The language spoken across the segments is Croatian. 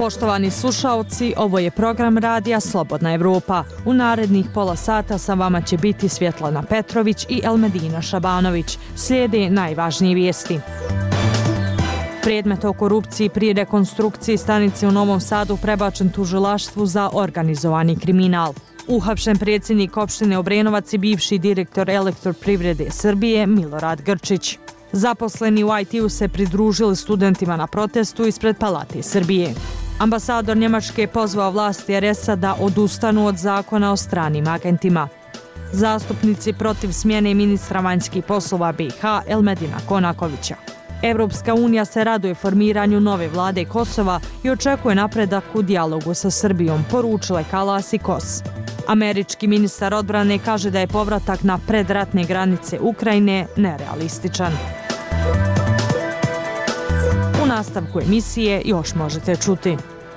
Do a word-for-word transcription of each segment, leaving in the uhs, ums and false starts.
Poštovani slušaoci, ovo je program radija Slobodna Evropa. U narednih pola sata sa vama će biti Svjetlana Petrović i Elmedina Šabanović. Slijede najvažnije vijesti. Predmet o korupciji pri rekonstrukciji stanice u Novom Sadu prebačen tužilaštvu za organizovani kriminal. Uhapšen predsjednik opštine Obrenovac i bivši direktor Elektroprivrede Srbije Milorad Grčić. Zaposleni u I T-u se pridružili studentima na protestu ispred Palate Srbije. Ambasador Njemačke je pozvao vlasti R S-a da odustanu od zakona o stranim agentima. Zastupnici protiv smjene ministra vanjskih poslova B i H Elmedina Konakovića. Evropska unija se raduje formiranju nove vlade Kosova i očekuje napredak u dijalogu sa Srbijom, poručile Kalas i Kos. Američki ministar odbrane kaže da je povratak na predratne granice Ukrajine nerealističan. U nastavku emisije još možete čuti.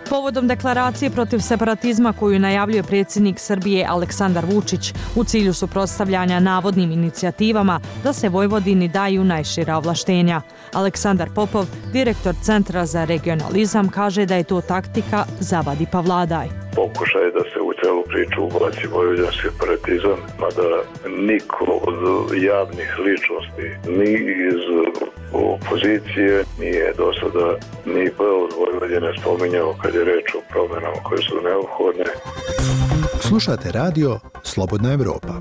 Povodom deklaracije protiv separatizma koju najavljuje predsjednik Srbije Aleksandar Vučić u cilju suprotstavljanja navodnim inicijativama da se Vojvodini daju najšira ovlaštenja. Aleksandar Popov, direktor Centra za regionalizam, kaže da je to taktika zavadi pa vladaj. Pokušaj da se u celu priču ubaci vojvođanski separatizam, mada niko od javnih ličnosti, ni iz opozicije nije do sada ni P od Vojvodine spominjao kad je reč o promjenama koje su neophodne. Slušate radio Slobodna Evropa.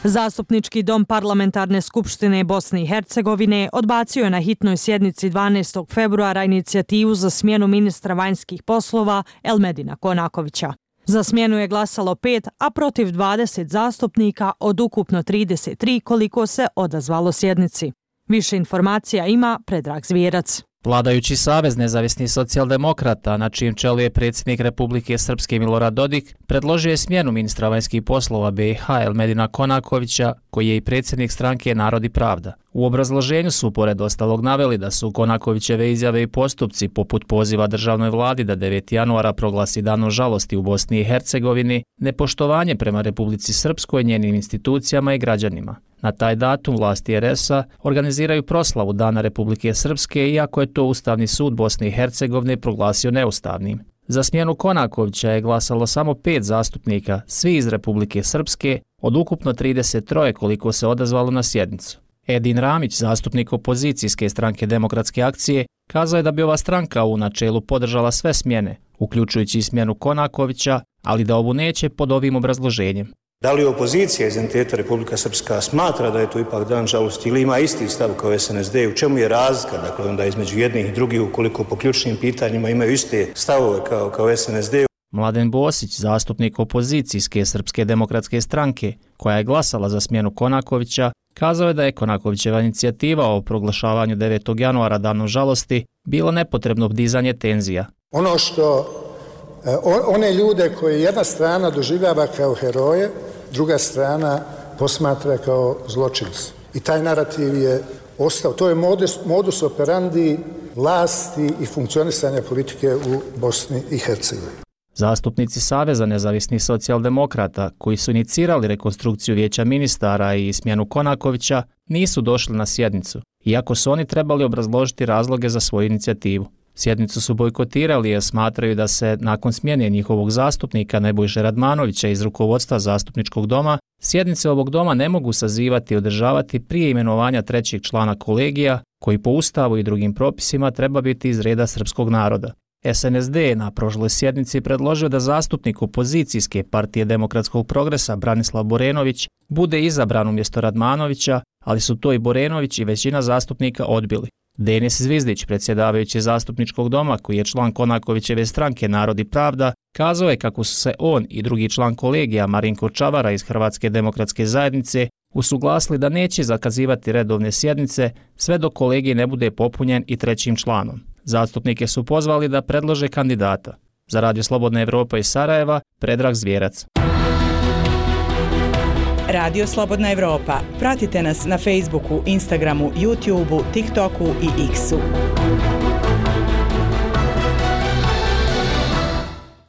Zastupnički dom Parlamentarne skupštine Bosne i Hercegovine odbacio je na hitnoj sjednici dvanaestog februara inicijativu za smjenu ministra vanjskih poslova Elmedina Konakovića. Za smjenu je glasalo pet, a protiv dvadeset zastupnika od ukupno trideset tri koliko se odazvalo sjednici. Više informacija ima Predrag Zvijerac. Vladajući Savez nezavisnih socijaldemokrata, na čijem čelu je predsjednik Republike Srpske Milorad Dodik, predložio je smjenu ministra vanjskih poslova B i H Elmedina Konakovića, koji je i predsjednik stranke Narod i pravda. U obrazloženju su pored ostalog naveli da su Konakovićeve izjave i postupci poput poziva državnoj vladi da devetog januara proglasi danom žalosti u Bosni i Hercegovini, nepoštovanje prema Republici Srpskoj, njenim institucijama i građanima. Na taj datum vlasti R S-a organiziraju proslavu Dana Republike Srpske, iako je to Ustavni sud Bosne i Hercegovine proglasio neustavnim. Za smjenu Konakovića je glasalo samo pet zastupnika, svi iz Republike Srpske, od ukupno trideset tri koliko se odazvalo na sjednicu. Edin Ramić, zastupnik opozicijske stranke Demokratske akcije, kazao je da bi ova stranka u načelu podržala sve smjene, uključujući i smjenu Konakovića, ali da ovu neće pod ovim obrazloženjem. Da li opozicija iz entiteta Republika Srpska smatra da je to ipak dan žalosti ili ima isti stav kao S N S D? U čemu je razlika, dakle, onda između jednih i drugih, ukoliko po ključnim pitanjima imaju iste stavove kao, kao S N S D? Mladen Bosić, zastupnik opozicijske Srpske demokratske stranke, koja je glasala za smjenu Konakovića, kazao je da je Konakovićeva inicijativa o proglašavanju devetog januara danom žalosti bilo nepotrebno dizanje tenzija. Ono što one ljude koje jedna strana doživljava kao heroje, druga strana posmatra kao zločince. I taj narativ je ostao. To je modus, modus operandi vlasti i funkcionisanja politike u Bosni i Hercegovini. Zastupnici Saveza nezavisnih socijaldemokrata, koji su inicirali rekonstrukciju vijeća ministara i smjenu Konakovića, nisu došli na sjednicu, iako su oni trebali obrazložiti razloge za svoju inicijativu. Sjednicu su bojkotirali jer smatraju da se nakon smjene njihovog zastupnika Nebojše Radmanovića iz rukovodstva zastupničkog doma, sjednice ovog doma ne mogu sazivati i održavati prije imenovanja trećeg člana kolegija, koji po Ustavu i drugim propisima treba biti iz reda srpskog naroda. S N S D je na prošloj sjednici predložio da zastupnik opozicijske partije Demokratskog progresa Branislav Borenović bude izabran umjesto Radmanovića, ali su to i Borenović i većina zastupnika odbili. Denis Zvizdić, predsjedavajući zastupničkog doma, koji je član Konakovićeve stranke Narod i pravda, kazao je kako su se on i drugi član kolegija Marinko Čavara iz Hrvatske demokratske zajednice usuglasili da neće zakazivati redovne sjednice sve dok kolegij ne bude popunjen i trećim članom. Zastupnike su pozvali da predlože kandidata. Za Radio Slobodna Evropa iz Sarajeva, Predrag Zvijerac. Radio Slobodna Evropa. Pratite nas na Facebooku, Instagramu, YouTubeu, TikToku i X-u.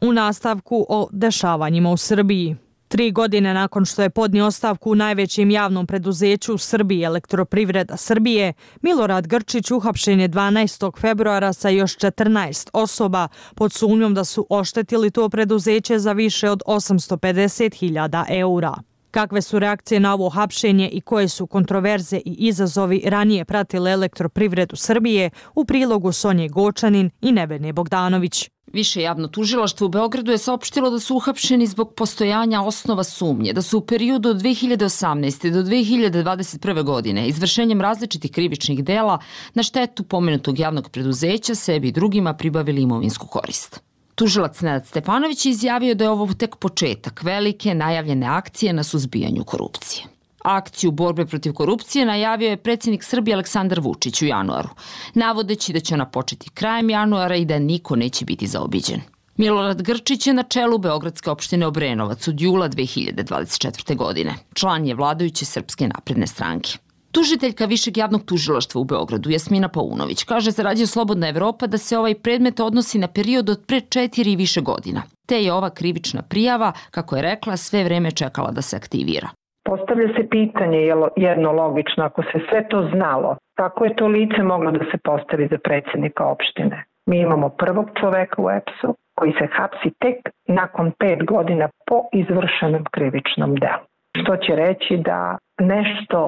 U nastavku o dešavanjima u Srbiji. Tri godine nakon što je podnio ostavku u najvećem javnom preduzeću u Srbiji Elektroprivreda Srbije, Milorad Grčić uhapšen je dvanaestog februara sa još četrnaest osoba pod sumnjom da su oštetili to preduzeće za više od osamsto pedeset hiljada eura. Kakve su reakcije na ovo hapšenje i koje su kontroverze i izazovi ranije pratile Elektroprivredu Srbije, u prilogu Sonje Gočanin i Nevene Bogdanović. Više javno tužilaštvo u Beogradu je saopštilo da su uhapšeni zbog postojanja osnova sumnje, da su u periodu od dve hiljade osamnaeste. do dve hiljade dvadeset prve. godine izvršenjem različitih krivičnih dela na štetu pomenutog javnog preduzeća sebi i drugima pribavili imovinsku korist. Tužilac Nenad Stefanović je izjavio da je ovo tek početak velike najavljene akcije na suzbijanju korupcije. Akciju borbe protiv korupcije najavio je predsjednik Srbije Aleksandar Vučić u januaru, navodeći da će ona početi krajem januara i da niko neće biti zaobiđen. Milorad Grčić je na čelu Beogradske opštine Obrenovac od jula dve hiljade dvadeset četvrte. godine. Član je vladajuće Srpske napredne stranke. Tužiteljka Višeg javnog tužilaštva u Beogradu, Jasmina Paunović, kaže za Radio Slobodna Evropa da se ovaj predmet odnosi na period od pre četiri i više godina, te je ova krivična prijava, kako je rekla, sve vreme čekala da se aktivira. Postavlja se pitanje jedno logično, ako se sve to znalo, kako je to lice moglo da se postavi za predsjednika opštine? Mi imamo prvog čoveka u E P S-u koji se hapsi tek nakon pet godina po izvršenom krivičnom delu. Što će reći da nešto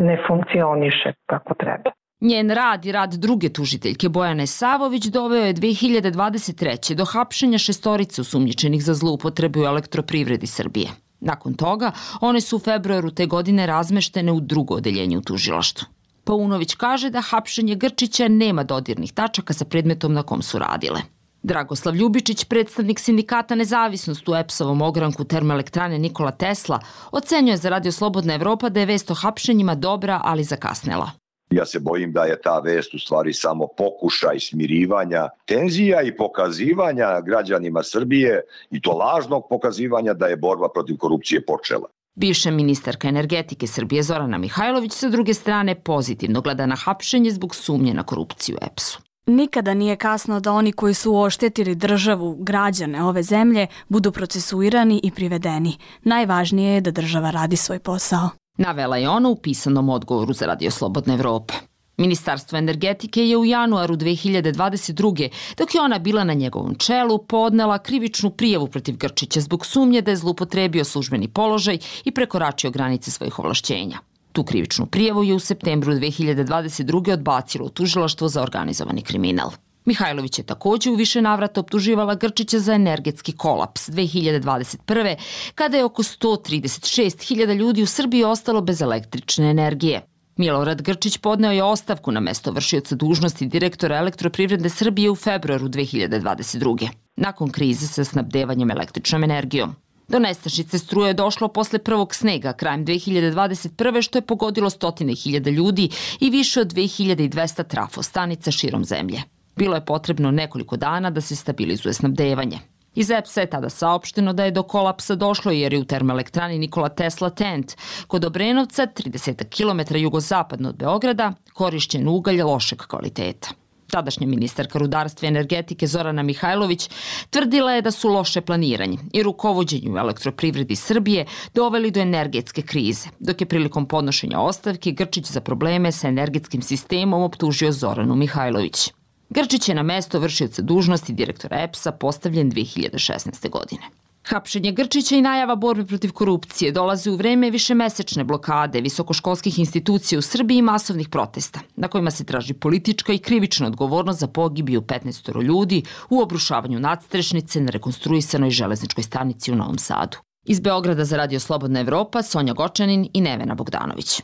ne funkcioniše kako treba. Njen rad i rad druge tužiteljke Bojane Savović doveo je dve hiljade dvadeset treće. do hapšenja šestorice osumnjičenih za zloupotrebu u Elektroprivredi Srbije. Nakon toga, one su u februaru te godine razmeštene u drugo odeljenje u tužilaštvu. Paunović kaže da hapšenje Grčića nema dodirnih tačaka sa predmetom na kom su radile. Dragoslav Ljubičić, predstavnik sindikata Nezavisnost u E P S-ovom ogranku termoelektrane Nikola Tesla, ocenjuje za Radio Slobodna Evropa da je vest o hapšenjima dobra, ali zakasnela. Ja se bojim da je ta vest u stvari samo pokušaj smirivanja tenzija i pokazivanja građanima Srbije, i to lažnog pokazivanja da je borba protiv korupcije počela. Bivša ministarka energetike Srbije Zorana Mihajlović sa druge strane pozitivno gleda na hapšenje zbog sumnje na korupciju u E P S-u. Nikada nije kasno da oni koji su oštetili državu, građane ove zemlje, budu procesuirani i privedeni. Najvažnije je da država radi svoj posao. Navela je ona u pisanom odgovoru za Radio Slobodna Evropa. Ministarstvo energetike je u januaru dve hiljade dvadeset druge. dok je ona bila na njegovom čelu, podnela krivičnu prijavu protiv Grčića zbog sumnje da je zloupotrebio službeni položaj i prekoračio granice svojih ovlašćenja. Tu krivičnu prijavu je u septembru dve hiljade dvadeset druge. odbacilo Tužilaštvo za organizovani kriminal. Mihajlović je također u više navrata optuživala Grčića za energetski kolaps dve hiljade dvadeset prve. kada je oko sto trideset šest hiljada ljudi u Srbiji ostalo bez električne energije. Milorad Grčić podneo je ostavku na mesto vršioca dužnosti direktora Elektroprivrede Srbije u februaru dve hiljade dvadeset druge. nakon krize sa snabdevanjem električnom energijom. Do nestašice struje je došlo posle prvog snega krajem dve hiljade dvadeset prve. što je pogodilo stotine hiljada ljudi i više od dve hiljade dvesta trafostanica širom zemlje. Bilo je potrebno nekoliko dana da se stabilizuje snabdevanje. Iz E P S-a je tada saopšteno da je do kolapsa došlo jer je u termoelektrani Nikola Tesla Tent kod Obrenovca, trideset kilometara jugozapadno od Beograda, korišćen ugalj lošeg kvaliteta. Tadašnja ministarka rudarstva i energetike Zorana Mihajlović tvrdila je da su loše planiranje i rukovođenje u Elektroprivredi Srbije doveli do energetske krize, dok je prilikom podnošenja ostavke Grčić za probleme sa energetskim sistemom optužio Zoranu Mihajlović. Grčić je na mesto vršioca dužnosti direktora E P S-a postavljen dve hiljade šesnaeste. godine. Hapšenje Grčića i najava borbe protiv korupcije dolazi u vreme višemesečne blokade visokoškolskih institucija u Srbiji i masovnih protesta, na kojima se traži politička i krivična odgovornost za pogibiju petnaest ljudi u obrušavanju nadstrešnice na rekonstruisanoj železničkoj stanici u Novom Sadu. Iz Beograda za Radio Slobodna Evropa, Sonja Gočanin i Nevena Bogdanović.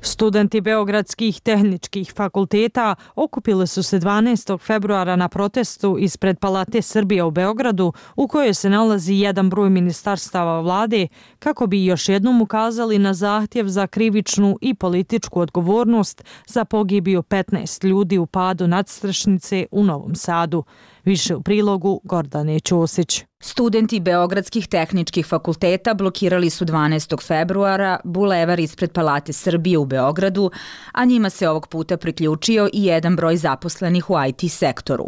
Studenti beogradskih tehničkih fakulteta okupili su se dvanaestog februara na protestu ispred Palate Srbije u Beogradu, u kojoj se nalazi jedan broj ministarstava vlade, kako bi još jednom ukazali na zahtjev za krivičnu i političku odgovornost za pogibiju petnaest ljudi u padu nadstrešnice u Novom Sadu. Više u prilogu Gordane Ćosić. Studenti beogradskih tehničkih fakulteta blokirali su dvanaestog februara bulevar ispred Palate Srbije u Beogradu, a njima se ovog puta priključio i jedan broj zaposlenih u I T sektoru.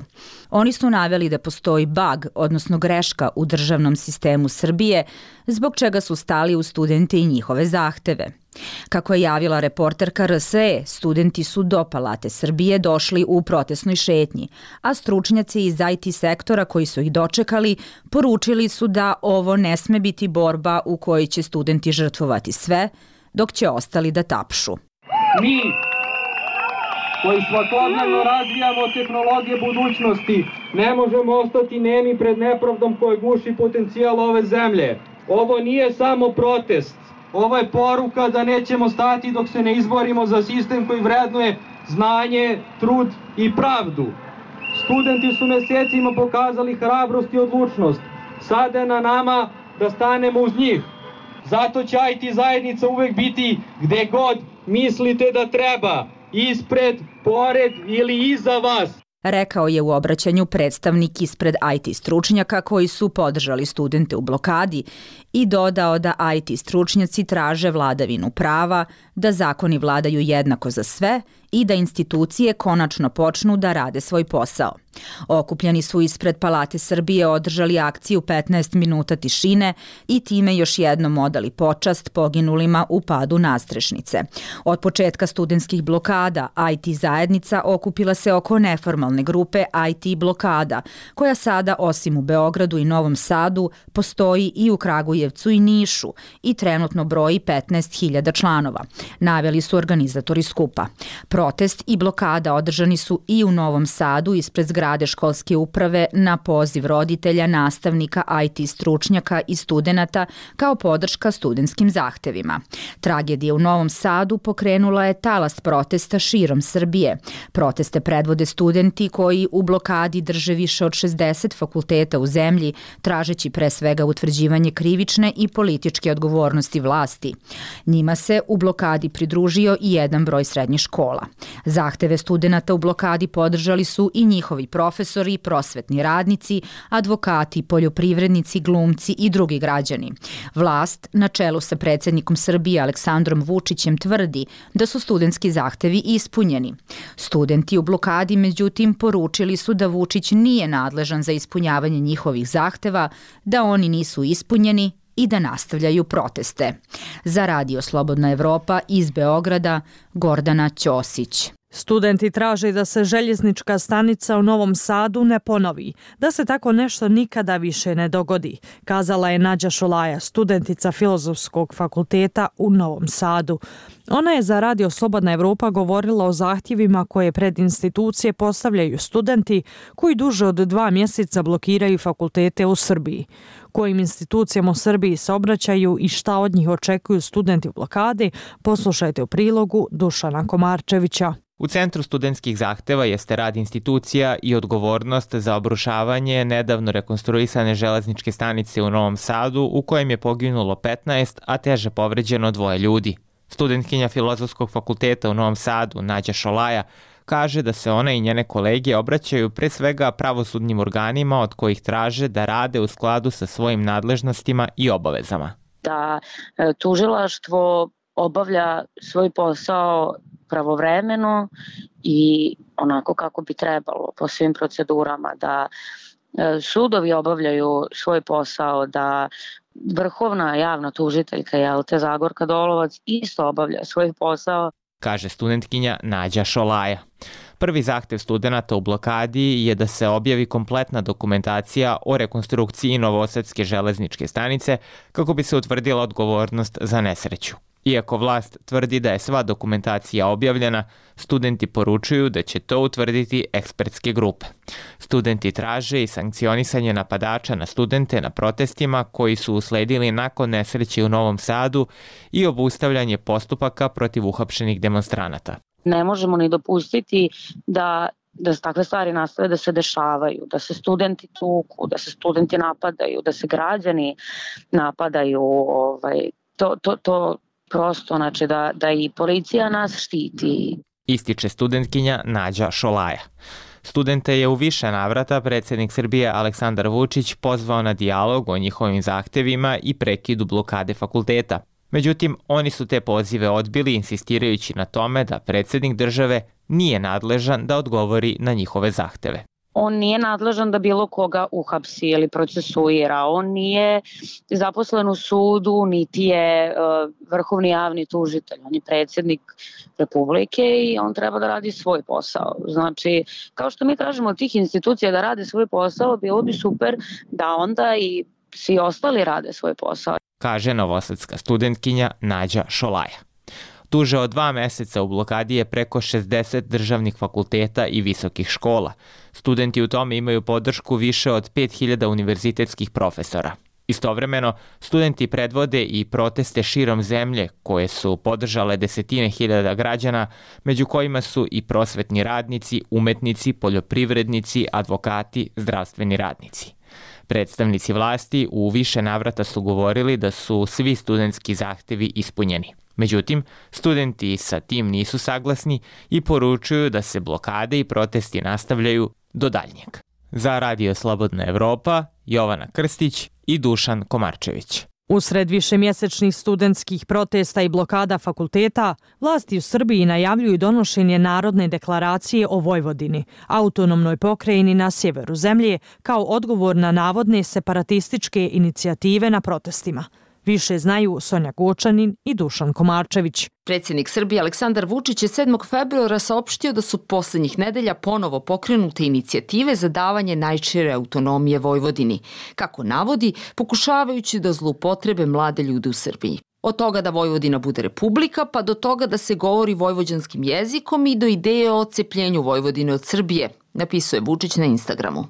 Oni su naveli da postoji bug, odnosno greška u državnom sistemu Srbije, zbog čega su stali u studente i njihove zahteve. Kako je javila reporterka R S E, studenti su do Palate Srbije došli u protestnoj šetnji, a stručnjaci iz I T sektora koji su ih dočekali poručili su da ovo ne sme biti borba u kojoj će studenti žrtvovati sve, dok će ostali da tapšu. Mi, koji svakodnevno razvijamo tehnologije budućnosti, ne možemo ostati nemi pred nepravdom koja guši potencijal ove zemlje. Ovo nije samo protest. Ovo je poruka da nećemo stati dok se ne izborimo za sistem koji vrednuje znanje, trud i pravdu. Studenti su mesecima pokazali hrabrost i odlučnost. Sada je na nama da stanemo uz njih. Zato će I T zajednica uvek biti gde god mislite da treba, ispred, pored ili iza vas. Rekao je u obraćanju predstavnik ispred I T stručnjaka koji su podržali studente u blokadi i dodao da I T stručnjaci traže vladavinu prava, da zakoni vladaju jednako za sve i da institucije konačno počnu da rade svoj posao. Okupljeni su ispred Palate Srbije održali akciju petnaest minuta tišine i time još jednom odali počast poginulima u padu nadstrešnice. Od početka studentskih blokada I T zajednica okupila se oko neformalne grupe I T blokada, koja sada osim u Beogradu i Novom Sadu postoji i u Kragujevcu i Nišu i trenutno broji petnaest hiljada članova, naveli su organizatori skupa. Protest i blokada održani su i u Novom Sadu ispred zgrade školske uprave na poziv roditelja, nastavnika, I T stručnjaka i studenata kao podrška studentskim zahtevima. Tragedija u Novom Sadu pokrenula je talas protesta širom Srbije. Proteste predvode studenti koji u blokadi drže više od šezdeset fakulteta u zemlji, tražeći pre svega utvrđivanje krivične i političke odgovornosti vlasti. Njima se u blokadi pridružio i jedan broj srednjih škola. Zahteve studenata u blokadi podržali su i njihovi profesori, prosvetni radnici, advokati, poljoprivrednici, glumci i drugi građani. Vlast, na čelu sa predsjednikom Srbije Aleksandrom Vučićem, tvrdi da su studentski zahtevi ispunjeni. Studenti u blokadi, međutim, poručili su da Vučić nije nadležan za ispunjavanje njihovih zahteva, da oni nisu ispunjeni i da nastavljaju proteste. Za Radio Slobodna Evropa iz Beograda, Gordana Ćosić. Studenti traže da se željeznička stanica u Novom Sadu ne ponovi, da se tako nešto nikada više ne dogodi, kazala je Nađa Šolaja, studentica Filozofskog fakulteta u Novom Sadu. Ona je za Radio Slobodna Evropa govorila o zahtjevima koje pred institucije postavljaju studenti koji duže od dva mjeseca blokiraju fakultete u Srbiji. Kojim institucijama u Srbiji se obraćaju i šta od njih očekuju studenti u blokadi, poslušajte u prilogu Dušana Komarčevića. U centru studentskih zahteva jeste rad institucija i odgovornost za obrušavanje nedavno rekonstruisane železničke stanice u Novom Sadu u kojem je poginulo petnaest, a teže povređeno dvoje ljudi. Studentkinja Filozofskog fakulteta u Novom Sadu, Nađa Šolaja, kaže da se ona i njene kolege obraćaju pre svega pravosudnim organima od kojih traže da rade u skladu sa svojim nadležnostima i obavezama. Da tužilaštvo obavlja svoj posao pravovremeno i onako kako bi trebalo po svim procedurama, da sudovi obavljaju svoj posao, da vrhovna javna tužiteljka Jelte Zagorka Dolovac isto obavlja svoj posao, kaže studentkinja Nađa Šolaja. Prvi zahtev studenata u blokadi je da se objavi kompletna dokumentacija o rekonstrukciji Novosadske železničke stanice kako bi se utvrdila odgovornost za nesreću. Iako vlast tvrdi da je sva dokumentacija objavljena, studenti poručuju da će to utvrditi ekspertske grupe. Studenti traže i sankcionisanje napadača na studente na protestima koji su usledili nakon nesreće u Novom Sadu i obustavljanje postupaka protiv uhapšenih demonstranata. Ne možemo ni dopustiti da da se takve stvari nastave da se dešavaju, da se studenti tuku, da se studenti napadaju, da se građani napadaju, ovaj, to, to, to prosto, znači da, da i policija nas štiti. Ističe studentkinja Nađa Šolaja. Studente je u više navrata predsjednik Srbije Aleksandar Vučić pozvao na dijalog o njihovim zahtevima i prekidu blokade fakulteta. Međutim, oni su te pozive odbili, insistirajući na tome da predsjednik države nije nadležan da odgovori na njihove zahteve. On nije nadležan da bilo koga uhapsi ili procesuira. On nije zaposlen u sudu, niti je uh, vrhovni javni tužitelj. On je predsjednik Republike i on treba da radi svoj posao. Znači, kao što mi tražimo od tih institucija da rade svoj posao, bilo bi super da onda i svi ostali rade svoj posao. Kaže novosadska studentkinja Nađa Šolaja. Duže od dva meseca u blokadi je preko šezdeset državnih fakulteta i visokih škola. Studenti u tome imaju podršku više od pet hiljada univerzitetskih profesora. Istovremeno, studenti predvode i proteste širom zemlje koje su podržale desetine hiljada građana, među kojima su i prosvetni radnici, umetnici, poljoprivrednici, advokati, zdravstveni radnici. Predstavnici vlasti u više navrata su govorili da su svi studentski zahtevi ispunjeni. Međutim, studenti sa tim nisu saglasni i poručuju da se blokade i protesti nastavljaju do daljnjeg. Za Radio Slobodna Evropa, Jovana Krstić i Dušan Komarčević. Usred višemjesečnih studentskih protesta i blokada fakulteta, vlasti u Srbiji najavljuju donošenje Narodne deklaracije o Vojvodini, autonomnoj pokrajini na sjeveru zemlje, kao odgovor na navodne separatističke inicijative na protestima. Više znaju Sonja Gočanin i Dušan Komarčević. Predsjednik Srbije Aleksandar Vučić je sedmog februara saopštio da su posljednjih nedelja ponovo pokrenute inicijative za davanje najšire autonomije Vojvodini, kako navodi, pokušavajući da zloupotrebe mlade ljude u Srbiji. Od toga da Vojvodina bude republika, pa do toga da se govori vojvođanskim jezikom i do ideje o odcepljenju Vojvodine od Srbije, napisuje Vučić na Instagramu.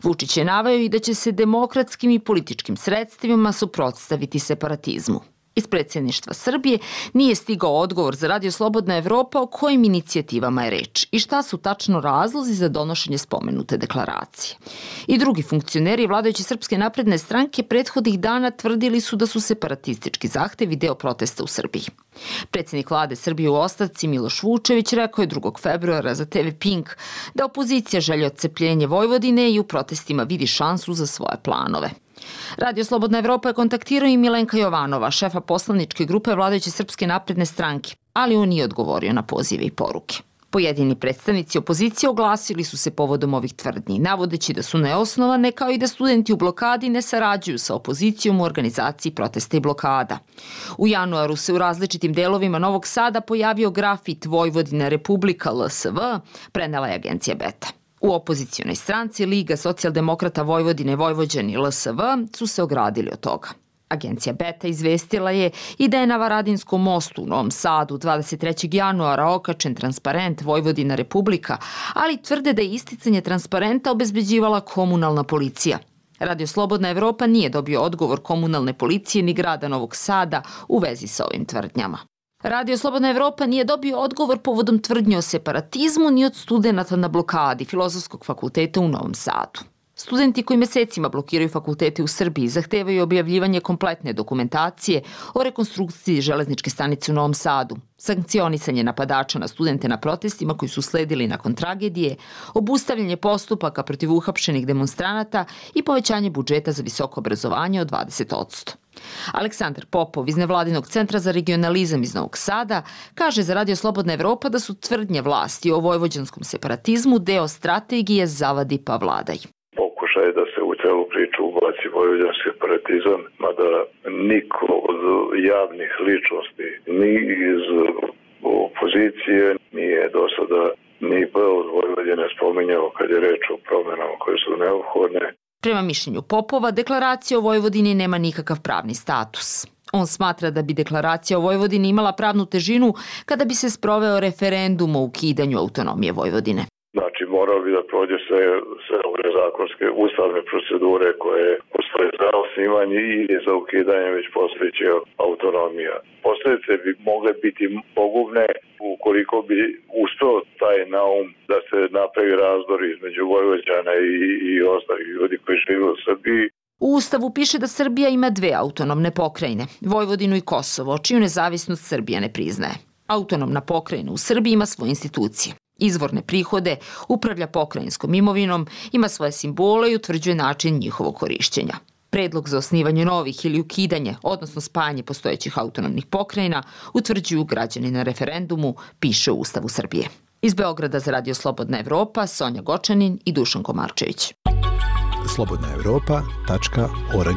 Vučić je naveo i da će se demokratskim i političkim sredstvima suprotstaviti separatizmu. Iz predsjedništva Srbije nije stigao odgovor za Radio Slobodna Evropa o kojim inicijativama je reč i šta su tačno razlozi za donošenje spomenute deklaracije. I drugi funkcioneri vladajuće Srpske napredne stranke prethodnih dana tvrdili su da su separatistički zahtevi deo protesta u Srbiji. Predsjednik vlade Srbije u ostavci Miloš Vučević rekao je drugog februara za te ve Pink da opozicija želi odcepljenje Vojvodine i u protestima vidi šansu za svoje planove. Radio Slobodna Evropa je kontaktirao i Milenka Jovanova, šefa poslaničke grupe vladajuće Srpske napredne stranke, ali on nije odgovorio na pozive i poruke. Pojedini predstavnici opozicije oglasili su se povodom ovih tvrdnji, navodeći da su neosnovane, kao i da studenti u blokadi ne sarađuju sa opozicijom u organizaciji protesta i blokada. U januaru se u različitim delovima Novog Sada pojavio grafit Vojvodina Republika L S V, prenela je agencija Beta. U opozicionoj stranci Liga socijaldemokrata Vojvodine Vojvođani L S V su se ogradili od toga. Agencija Beta izvestila je i da je na Varadinskom mostu u Novom Sadu dvadeset trećeg januara okačen transparent Vojvodina Republika, ali tvrde da je isticanje transparenta obezbeđivala komunalna policija. Radio Slobodna Evropa nije dobio odgovor komunalne policije ni grada Novog Sada u vezi sa ovim tvrdnjama. Radio Slobodna Evropa nije dobio odgovor povodom tvrdnje o separatizmu ni od studenata na blokadi Filozofskog fakulteta u Novom Sadu. Studenti koji mesecima blokiraju fakultete u Srbiji zahtevaju objavljivanje kompletne dokumentacije o rekonstrukciji železničke stanice u Novom Sadu, sankcionisanje napadača na studente na protestima koji su sledili nakon tragedije, obustavljanje postupaka protiv uhapšenih demonstranata i povećanje budžeta za visoko obrazovanje od dvadeset posto. Aleksandar Popov iz Nevladinog centra za regionalizam iz Novog Sada kaže za Radio Slobodna Evropa da su tvrdnje vlasti o vojvođanskom separatizmu deo strategije zavadi pa vladaj. Pokušaj da se u celu priču ubaci vojvođanski separatizam, mada niko od javnih ličnosti ni iz opozicije nije do sada ni B od Vojvodine spominjao kad je reč o promjenama koje su neophodne. Prema mišljenju Popova, deklaracija o Vojvodini nema nikakav pravni status. On smatra da bi deklaracija o Vojvodini imala pravnu težinu kada bi se sproveo referendum o ukidanju autonomije Vojvodine. Znači, morao bi da prođe sve, sve ove zakonske ustavne procedure koje postoje za osnivanje ili za ukidanje već postojeće autonomija. Posljedice bi mogle biti pogubne ukoliko bi uspeo taj naum da se napravi razdor između Vojvođana i, i ostalih ljudi koji žive u Srbiji. U Ustavu piše da Srbija ima dve autonomne pokrajine, Vojvodinu i Kosovo, čiju nezavisnost Srbija ne priznaje. Autonomna pokrajina u Srbiji ima svoje institucije. izvorne prihode, upravlja pokrajinskom imovinom, ima svoje simbole i utvrđuje način njihovog korišćenja. Predlog za osnivanje novih ili ukidanje, odnosno spajanje postojećih autonomnih pokrajina, utvrđuju građani na referendumu, piše u Ustavu Srbije. Iz Beograda za Radio Slobodna Evropa, Sonja Gočanin i Dušan Komarčević. slobodna evropa tačka org.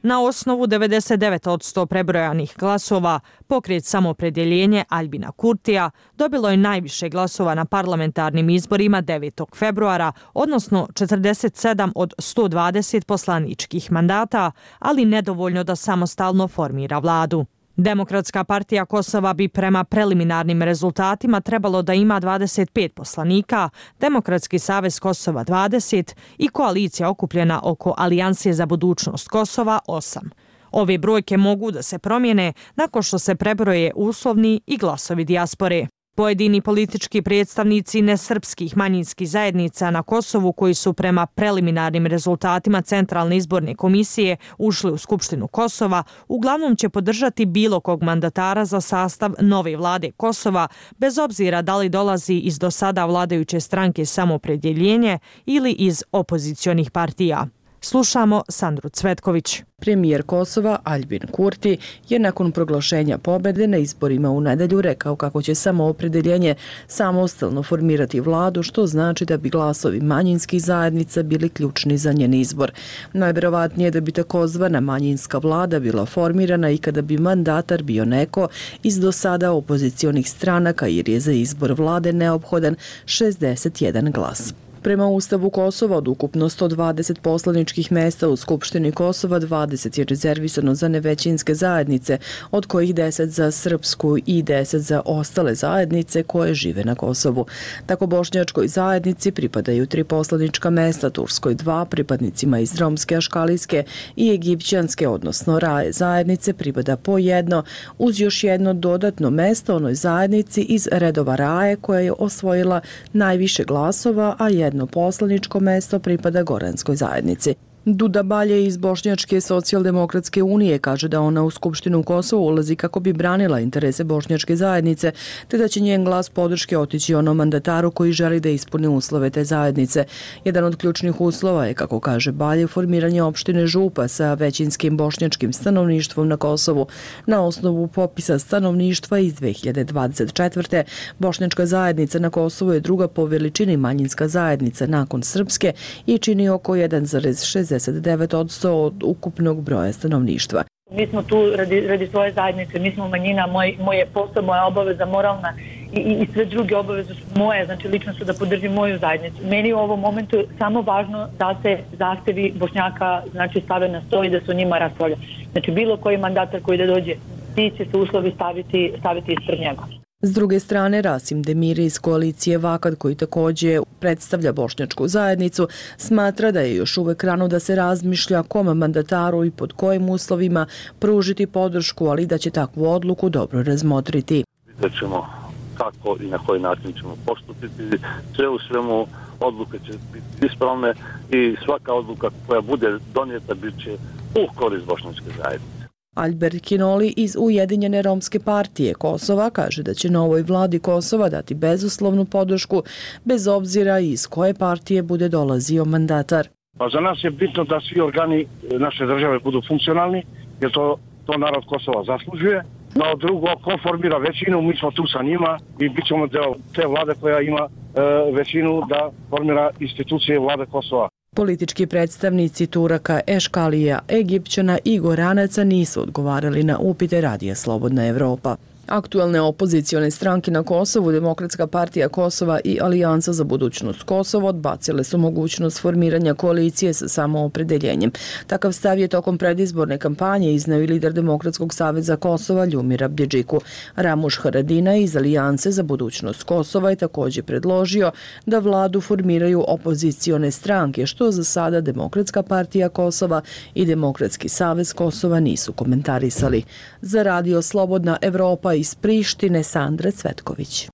Na osnovu devedeset devet posto prebrojanih glasova, pokret Samopredjeljenje Aljbina Kurtija dobilo je najviše glasova na parlamentarnim izborima devetog februara, odnosno četrdeset sedam od sto dvadeset poslaničkih mandata, ali nedovoljno da samostalno formira vladu. Demokratska partija Kosova bi prema preliminarnim rezultatima trebalo da ima dvadeset pet poslanika, Demokratski savez Kosova dvadeset i koalicija okupljena oko Alijanse za budućnost Kosova osam. Ove brojke mogu da se promijene nakon što se prebroje uslovni i glasovi dijaspore. Pojedini politički predstavnici nesrpskih manjinskih zajednica na Kosovu koji su prema preliminarnim rezultatima Centralne izborne komisije ušli u Skupštinu Kosova, uglavnom će podržati bilo kog mandatara za sastav nove vlade Kosova, bez obzira da li dolazi iz do sada vladajuće stranke Samopredjeljenje ili iz opozicionih partija. Slušamo Sandru Cvetković. Premijer Kosova Aljbin Kurti je nakon proglašenja pobede na izborima u nedelju rekao kako će Samoopredeljenje samostalno formirati vladu, što znači da bi glasovi manjinskih zajednica bili ključni za njen izbor. Najverovatnije da bi takozvana manjinska vlada bila formirana i kada bi mandatar bio neko iz do sada opozicionih stranaka, jer je za izbor vlade neophodan šezdeset jedan glas. Prema Ustavu Kosova od ukupno sto dvadeset poslaničkih mesta u Skupštini Kosova, dvadeset je rezervisano za nevećinske zajednice, od kojih deset za srpsku i deset za ostale zajednice koje žive na Kosovu. Tako bošnjačkoj zajednici pripadaju tri poslanička mesta, turskoj dva, pripadnicima iz romske, aškalijske i egipćanske, odnosno raje zajednice pripada po jedno, uz još jedno dodatno mesto onoj zajednici iz redova raje koja je osvojila najviše glasova, a jedno Jedno poslaničko mesto pripada Goranskoj zajednici. Duda Balje iz Bošnjačke socijaldemokratske unije kaže da ona u Skupštinu Kosova ulazi kako bi branila interese bošnjačke zajednice, te da će njen glas podrške otići onom mandataru koji želi da ispuni uslove te zajednice. Jedan od ključnih uslova je, kako kaže Balje, formiranje opštine Župa sa većinskim bošnjačkim stanovništvom na Kosovu. Na osnovu popisa stanovništva iz dve hiljade dvadeset četvrte. bošnjačka zajednica na Kosovu je druga po veličini manjinska zajednica nakon srpske i čini oko jedan zarez šezdeset devet posto od ukupnog broja stanovništva. Mi smo tu radi, radi svoje zajednice, mi smo manjina, moj, moj je posao, moja obaveza moralna i, i, i sve druge obaveze su moje, znači lično su da podržim moju zajednicu. Meni je u ovom momentu samo važno da se zahtevi Bošnjaka znači stave na sto i da se o njima raspravlja. Znači bilo koji mandatar koji da dođe, ti će se uslovi staviti, staviti ispred njega. S druge strane, Rasim Demiri iz koalicije Vakad, koji također predstavlja bošnjačku zajednicu, smatra da je još uvek rano da se razmišlja kome mandataru i pod kojim uslovima pružiti podršku, ali da će takvu odluku dobro razmotriti. Vidjet ćemo kako i na koji način ćemo postupiti. Sve u svemu odluke će biti ispravne i svaka odluka koja bude donijeta bit će u korist bošnjačke zajednice. Albert Kinoli iz Ujedinjene romske partije Kosova kaže da će novoj vladi Kosova dati bezuslovnu podršku bez obzira iz koje partije bude dolazio mandatar. Pa za nas je bitno da svi organi naše države budu funkcionalni, jer to, to narod Kosova zaslužuje. Kao drugo, ko formira većinu, mi smo tu sa njima i bit ćemo deo te vlade koja ima e, većinu da formira institucije vlade Kosova. Politički predstavnici Turaka, Eškalija, Egipćana i Goranaca nisu odgovarali na upite Radija Slobodna Evropa. Aktualne opozicione stranke na Kosovu, Demokratska partija Kosova i Alijansa za budućnost Kosova odbacile su mogućnost formiranja koalicije sa samoopredeljenjem. Takav stav je tokom predizborne kampanje izneo i lider Demokratskog saveza Kosova Ljumir Abdjedžiku. Ramuš Haradina iz Alijanse za budućnost Kosova je također predložio da vladu formiraju opozicione stranke, što za sada Demokratska partija Kosova i Demokratski savez Kosova nisu komentarisali. Za Radio Slobodna Evropa iz Prištine, Sandra Cvetković.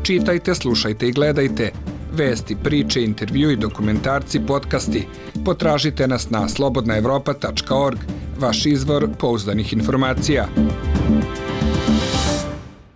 Čitajte, slušajte i gledajte vesti, priče, intervju i dokumentarci, podcasti. Potražite nas na slobodna evropa tačka org, vaš izvor pouzdanih informacija.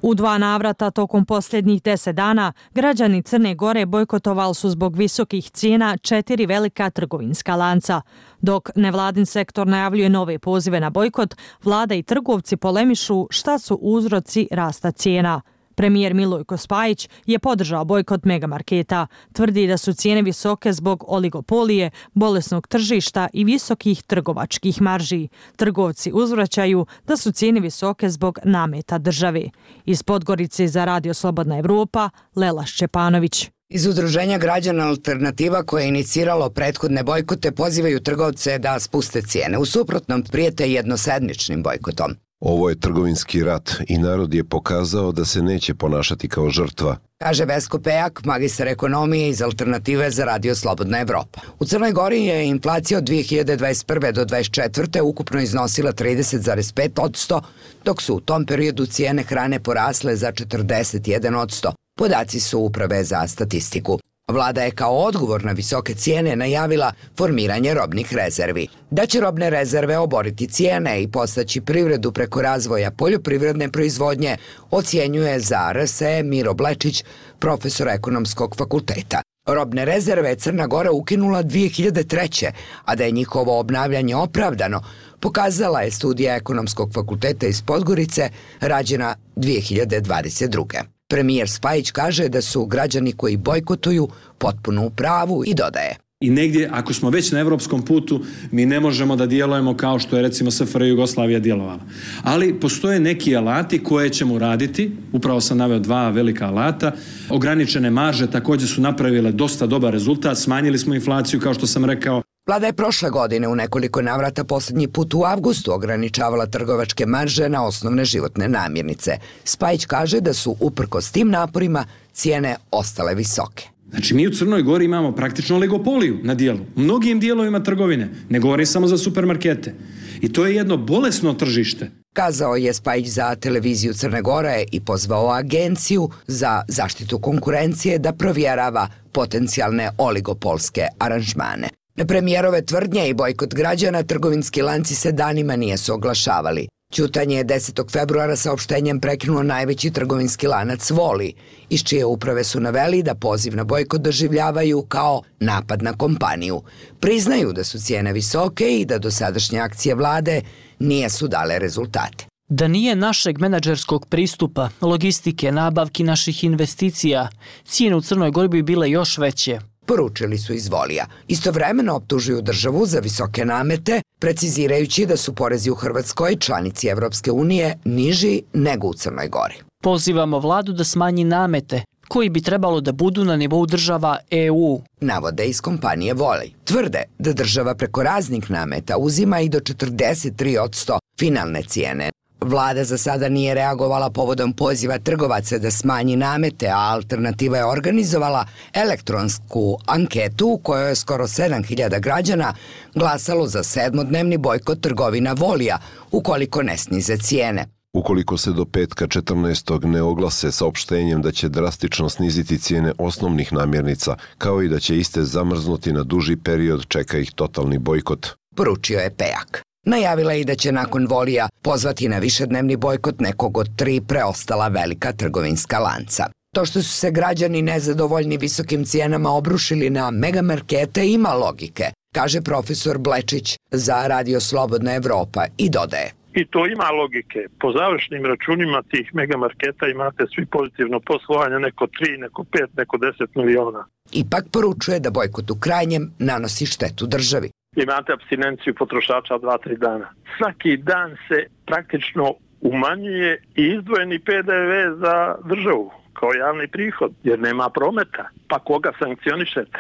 U dva navrata tokom posljednjih deset dana građani Crne Gore bojkotovali su zbog visokih cijena četiri velika trgovinska lanca. Dok nevladin sektor najavljuje nove pozive na bojkot, vlada i trgovci polemišu šta su uzroci rasta cijena. Premijer Milojko Spajić je podržao bojkot megamarketa. Tvrdi da su cijene visoke zbog oligopolije, bolesnog tržišta i visokih trgovačkih marži. Trgovci uzvraćaju da su cijene visoke zbog nameta države. Iz Podgorice za Radio Slobodna Evropa, Lela Šćepanović. Iz Udruženja građana Alternativa koje je iniciralo prethodne bojkote pozivaju trgovce da spuste cijene. U suprotnom prijete jednosedmičnim bojkotom. Ovo je trgovinski rat i narod je pokazao da se neće ponašati kao žrtva, kaže Vesko Pejak, magistar ekonomije iz Alternative za Radio Slobodna Evropa. U Crnoj Gori je inflacija od dvije hiljade dvadeset prve do dvadeset četvrte ukupno iznosila trideset zarez pet posto, dok su u tom periodu cijene hrane porasle za četrdeset jedan posto. Podaci su Uprave za statistiku. Vlada je kao odgovor na visoke cijene najavila formiranje robnih rezervi. Da će robne rezerve oboriti cijene i postaći privredu preko razvoja poljoprivredne proizvodnje, ocjenjuje za R S E Miro Blečić, profesor ekonomskog fakulteta. Robne rezerve je Crna Gora ukinula dvije hiljade treće, a da je njihovo obnavljanje opravdano, pokazala je studija ekonomskog fakulteta iz Podgorice, rađena dvije hiljade dvadeset druge. Premijer Spajić kaže da su građani koji bojkotuju potpuno u pravu i dodaje. I negdje, ako smo već na evropskom putu, mi ne možemo da djelujemo kao što je recimo S F R J Jugoslavija djelovala. Ali postoje neki alati koje ćemo raditi, upravo sam naveo dva velika alata. Ograničene marže također su napravile dosta dobar rezultat, smanjili smo inflaciju kao što sam rekao. Vlada je prošle godine u nekoliko navrata posljednji put u avgustu ograničavala trgovačke marže na osnovne životne namirnice. Spajić kaže da su uprkos tim naporima cijene ostale visoke. Znači mi u Crnoj Gori imamo praktično oligopoliju na dijelu, u mnogim dijelovima trgovine, ne govorim samo za supermarkete. I to je jedno bolesno tržište. Kazao je Spajić za televiziju Crne Gore i pozvao agenciju za zaštitu konkurencije da provjerava potencijalne oligopolske aranžmane. Na premijerove tvrdnje i bojkot građana trgovinski lanci se danima nijesu oglašavali. Ćutanje je desetog februara saopštenjem prekinuo najveći trgovinski lanac Voli, iz čije uprave su naveli da poziv na bojkot doživljavaju kao napad na kompaniju. Priznaju da su cijene visoke i da dosadašnje akcije vlade nijesu dale rezultate. Da nije našeg menadžerskog pristupa, logistike, nabavki naših investicija, cijene u Crnoj Gori bi bile još veće. Poručili su iz Volija. Istovremeno optužuju državu za visoke namete, precizirajući da su porezi u Hrvatskoj, članici Evropske unije, niži nego u Crnoj Gori. Pozivamo vladu da smanji namete, koji bi trebalo da budu na nivou država E U. Navode iz kompanije Volij. Tvrde da država preko raznih nameta uzima i do četrdeset tri posto finalne cijene. Vlada za sada nije reagovala povodom poziva trgovaca da smanji namete, a Alternativa je organizovala elektronsku anketu u kojoj je skoro sedam hiljada građana glasalo za sedmodnevni bojkot trgovina Volija ukoliko ne snize cijene. Ukoliko se do petka četrnaestog ne oglase saopštenjem da će drastično sniziti cijene osnovnih namirnica, kao i da će iste zamrznuti na duži period, čeka ih totalni bojkot. Poručio je Pejak. Najavila je i da će nakon Volija pozvati na višednevni bojkot nekog od tri preostala velika trgovinska lanca. To što su se građani nezadovoljni visokim cijenama obrušili na megamarkete ima logike, kaže profesor Blečić za Radio Slobodna Evropa i dodaje. I to ima logike. Po završnim računima tih megamarketa imate svi pozitivno poslovanje, neko tri, neko pet, neko deset miliona. Ipak poručuje da bojkot u krajnjem nanosi štetu državi. Imate apstinenciju potrošača dva do tri dana. Svaki dan se praktično umanjuje i izdvojeni P D V za državu kao javni prihod, jer nema prometa. Pa koga sankcionišete?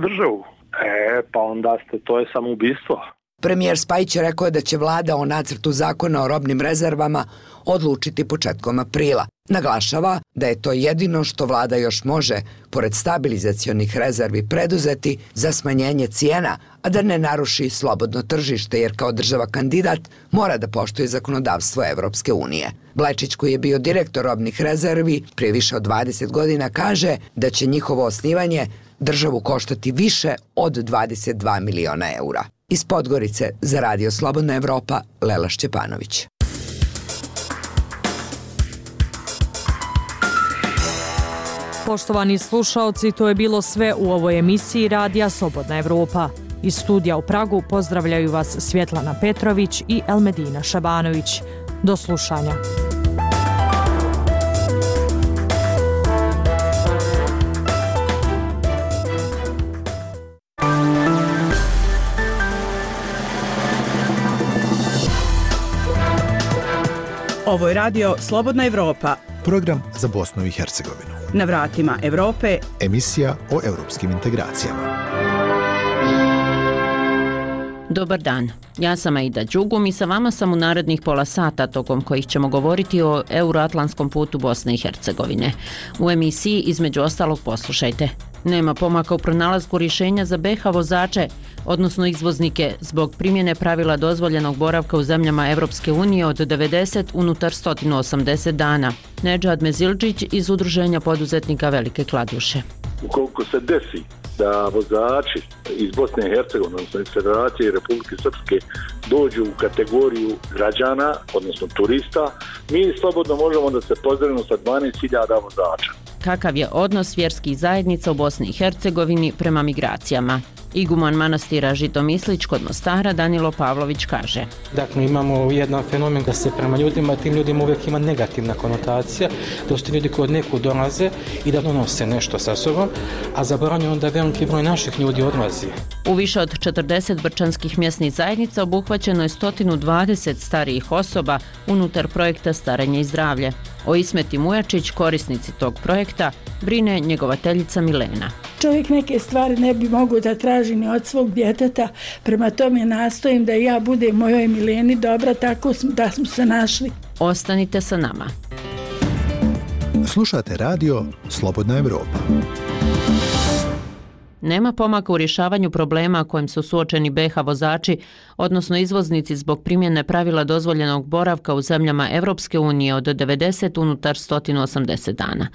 Državu. E, pa onda ste, to je samoubistvo. Premijer Spajić je rekao da će vlada o nacrtu zakona o robnim rezervama odlučiti početkom aprila. Naglašava da je to jedino što vlada još može, pored stabilizacionih rezervi, preduzeti za smanjenje cijena, a da ne naruši slobodno tržište, jer kao država kandidat mora da poštuje zakonodavstvo Evropske unije. Blečić, koji je bio direktor robnih rezervi prije više od dvadeset godina, kaže da će njihovo osnivanje državu koštati više od dvadeset dva miliona eura. Iz Podgorice za Radio Slobodna Evropa, Lela Šćepanović. Poštovani slušaoci, to je bilo sve u ovoj emisiji Radija Slobodna Evropa. Iz studija u Pragu pozdravljaju vas Svjetlana Petrović i Elmedina Šabanović. Do slušanja. Ovo je radio Slobodna Evropa. Program za Bosnu i Hercegovinu. Na vratima Evrope. Emisija o europskim integracijama. Dobar dan, ja sam Aida Đugum i sa vama sam u narednih pola sata tokom kojih ćemo govoriti o euroatlantskom putu Bosne i Hercegovine. U emisiji između ostalog poslušajte. Nema pomaka u pronalasku rješenja za be ha vozače, odnosno izvoznike, zbog primjene pravila dozvoljenog boravka u zemljama Evropske unije od devedeset unutar sto osamdeset dana. Nedžad Mezildžić iz Udruženja poduzetnika Velike Kladuše. Ukoliko se desi da vozači iz Bosne i Hercegovine, odnosno iz Federacije i Republike Srpske dođu u kategoriju građana, odnosno turista, mi slobodno možemo da se pozdravimo sa dvanaest hiljada vozača. Kakav je odnos vjerskih zajednica u Bosni i Hercegovini prema migracijama? Iguman manastira Žitomislić kod Mostara Danilo Pavlović kaže. Dakle, imamo jedan fenomen da se prema ljudima, tim ljudima uvijek ima negativna konotacija, da su ljudi koji od nekud dolaze i da donose nešto sa sobom, a zaboravljeno da veliki broj naših ljudi odlazi. U više od četrdeset brčanskih mjesnih zajednica obuhvaćeno je sto dvadeset starijih osoba unutar projekta Starenje i zdravlje. O Ismeti Mujačić, korisnici tog projekta, brine njegovateljica Milena. Čovjek neke stvari ne bi mogao da traži ni od svog djeteta, prema tome nastojim da ja budem mojoj Mileni dobra, tako da smo se našli. Ostanite sa nama. Slušate radio Slobodna Evropa. Nema pomaka u rješavanju problema kojim su suočeni be ha vozači, odnosno izvoznici zbog primjene pravila dozvoljenog boravka u zemljama Evropske unije od devedeset unutar sto osamdeset dana.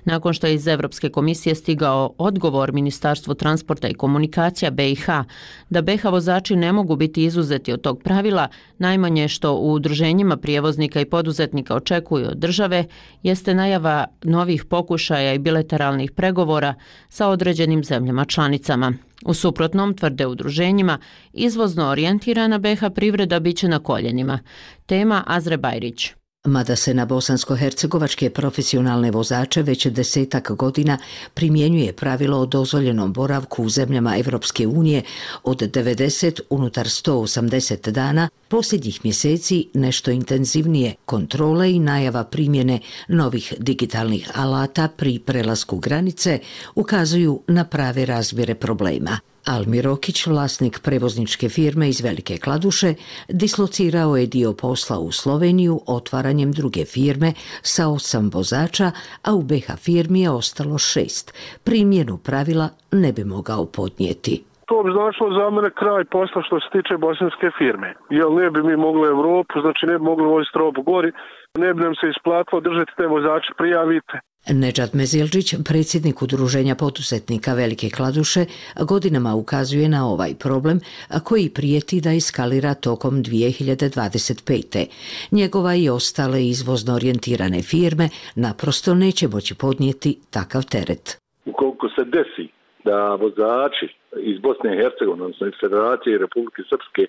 Nakon što je iz Evropske komisije stigao odgovor Ministarstvu transporta i komunikacija be i ha da be ha vozači ne mogu biti izuzeti od tog pravila, najmanje što u udruženjima prijevoznika i poduzetnika očekuju od države jeste najava novih pokušaja i bilateralnih pregovora sa određenim zemljama članicama. U suprotnom, tvrde udruženjima, izvozno orijentirana be ha privreda biće na koljenima. Tema Azre Bajrić. Mada se na bosansko-hercegovačke profesionalne vozače već desetak godina primjenjuje pravilo o dozvoljenom boravku u zemljama Evropske unije od devedeset unutar sto osamdeset dana, posljednjih mjeseci nešto intenzivnije kontrole i najava primjene novih digitalnih alata pri prelasku granice ukazuju na prave razmjere problema. Almir Rokić, vlasnik prevozničke firme iz Velike Kladuše, dislocirao je dio posla u Sloveniju otvaranjem druge firme sa osam vozača, a u be ha firmi je ostalo šest. Primjenu pravila ne bi mogao podnijeti. To bi značilo za mene kraj posla što se tiče bosanske firme. Jer ne bi mi mogli Evropu, znači ne bi mogli voziti robu gori, ne bi nam se isplatilo držati te vozače, prijavite. Nedžad Mezildžić, predsjednik Udruženja poduzetnika Velike Kladuše, godinama ukazuje na ovaj problem koji prijeti da eskalira tokom dvije hiljade dvadeset pete. Njegova i ostale izvozno orijentirane firme naprosto neće moći podnijeti takav teret. Ukoliko se desi da vozači iz Bosne i Hercegovine, odnosno iz Federacije i Republike Srpske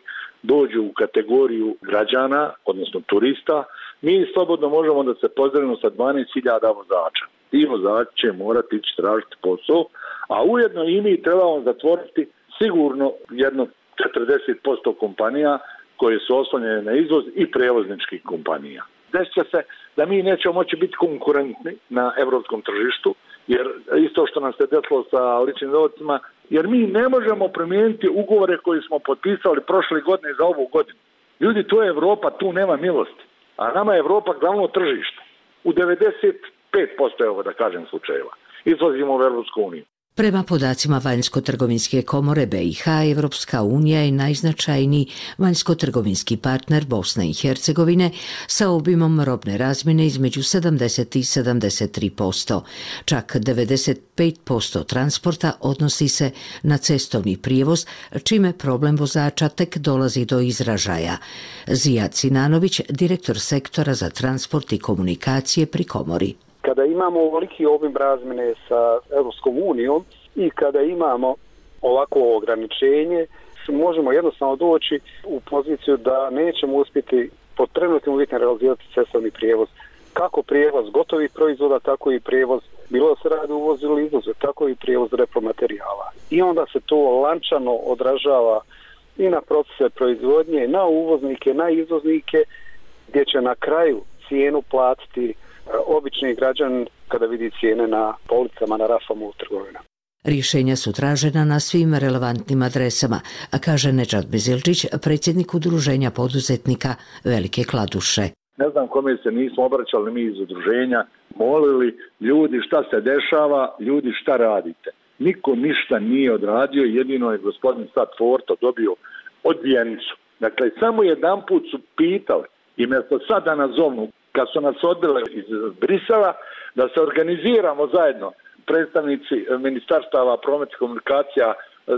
dođu u kategoriju građana, odnosno turista, mi slobodno možemo da se pozdravimo sa dvanaest hiljada vozača. Ti vozači će morati ići tražiti posao, a ujedno i mi trebamo zatvoriti sigurno jedno četrdeset posto kompanija koje su oslonjene na izvoz i prevozničkih kompanija. Desit će se da mi nećemo moći biti konkurentni na evropskom tržištu, jer isto što nam se desilo sa ličnim dohodcima, jer mi ne možemo promijeniti ugovore koje smo potpisali prošle godine za ovu godinu. Ljudi, to je Evropa, tu nema milosti. A nama je Evropa glavno tržište. U devedeset pet posto, evo da kažem, slučajeva. Izlazimo u Evropsku uniju. Prema podacima Vanjsko-trgovinske komore be i ha, Evropska unija je najznačajniji vanjsko-trgovinski partner Bosne i Hercegovine sa obimom robne razmjene između sedamdeset i sedamdeset tri posto. Čak devedeset pet posto transporta odnosi se na cestovni prijevoz, čime problem vozača tek dolazi do izražaja. Zijad Sinanović, direktor sektora za transport i komunikacije pri komori. Kada imamo ovoliki obim razmjene sa Europskom unijom i kada imamo ovako ograničenje, možemo jednostavno doći u poziciju da nećemo uspjeti pod trenutnim uvjetima realizirati cestovni prijevoz. Kako prijevoz gotovih proizvoda, tako i prijevoz, bilo da se radi uvoz ili izvoz, tako i prijevoz repromaterijala. I onda se to lančano odražava i na procese proizvodnje, na uvoznike, na izvoznike, gdje će na kraju cijenu platiti obični građan kada vidi cijene na policama, na rafama u trgovina. Rješenja su tražena na svim relevantnim adresama, a kaže Nedžad Bezilčić, predsjednik udruženja poduzetnika Velike Kladuše. Ne znam kome se nismo obraćali mi iz udruženja, molili ljudi šta se dešava, ljudi šta radite. Niko ništa nije odradio, jedino je gospodin Sad Forto dobio odbijenicu. Dakle, samo jedan put su pitali i mjesto sad da nas zovnu, kad su nas odbile iz Brisela, da se organiziramo zajedno, predstavnici ministarstava prometa i komunikacija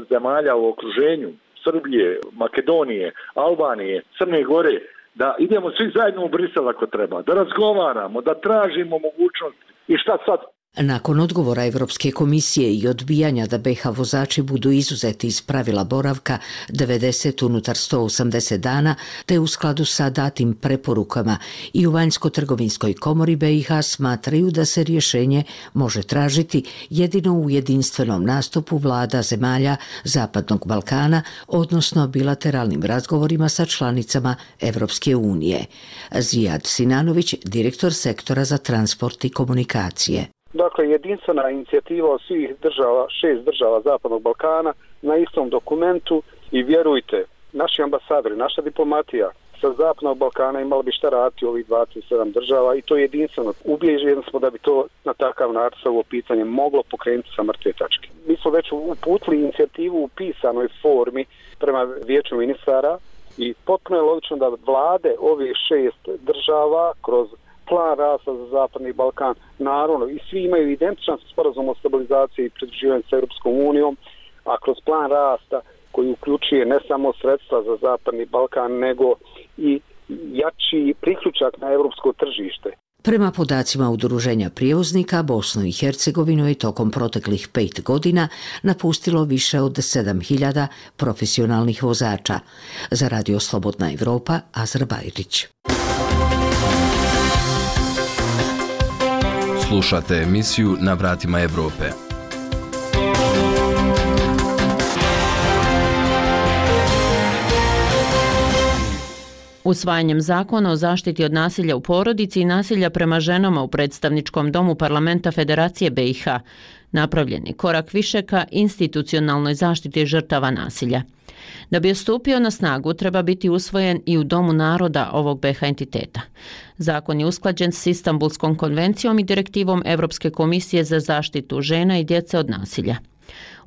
zemalja u okruženju, Srbije, Makedonije, Albanije, Crne Gore, da idemo svi zajedno u Brisel ako treba, da razgovaramo, da tražimo mogućnost i šta sad. Nakon odgovora Evropske komisije i odbijanja da be ha vozači budu izuzeti iz pravila boravka devedeset unutar sto osamdeset dana, te u skladu sa datim preporukama i u Vanjsko-trgovinskoj komori be i ha smatraju da se rješenje može tražiti jedino u jedinstvenom nastupu vlada zemalja Zapadnog Balkana, odnosno bilateralnim razgovorima sa članicama Evropske unije. Zijad Sinanović, direktor sektora za transport i komunikacije. Dakle, jedinstvena inicijativa od svih država, šest država Zapadnog Balkana na istom dokumentu i vjerujte, naši ambasadori, naša diplomatija sa Zapadnog Balkana imala bi šta raditi u ovih dvadeset sedam država i to je jedinstveno. Ubijeđeni smo da bi to na takav način ovo pitanje moglo pokrenuti sa mrtve tačke. Mi smo već uputili inicijativu u pisanoj formi prema vijeću ministara i potpuno je logično da vlade ovih šest država kroz plan rasta za Zapadni Balkan, naravno, i svi imaju identičan sporazum o stabilizaciji i pridruživanju s Europskom unijom, a kroz plan rasta koji uključuje ne samo sredstva za Zapadni Balkan, nego i jači priključak na europsko tržište. Prema podacima Udruženja prijevoznika, Bosnu i Hercegovinu je tokom proteklih pet godina napustilo više od sedam hiljada profesionalnih vozača. Za Radio Slobodna Evropa, Azra Bajrić. Slušate emisiju Na vratima Evrope. Usvajanjem zakona o zaštiti od nasilja u porodici i nasilja prema ženama u predstavničkom domu parlamenta Federacije be i ha napravljen je korak više ka institucionalnoj zaštiti žrtava nasilja. Da bi stupio na snagu, treba biti usvojen i u Domu naroda ovog be ha entiteta. Zakon je usklađen s Istanbulskom konvencijom i direktivom Evropske komisije za zaštitu žena i djece od nasilja.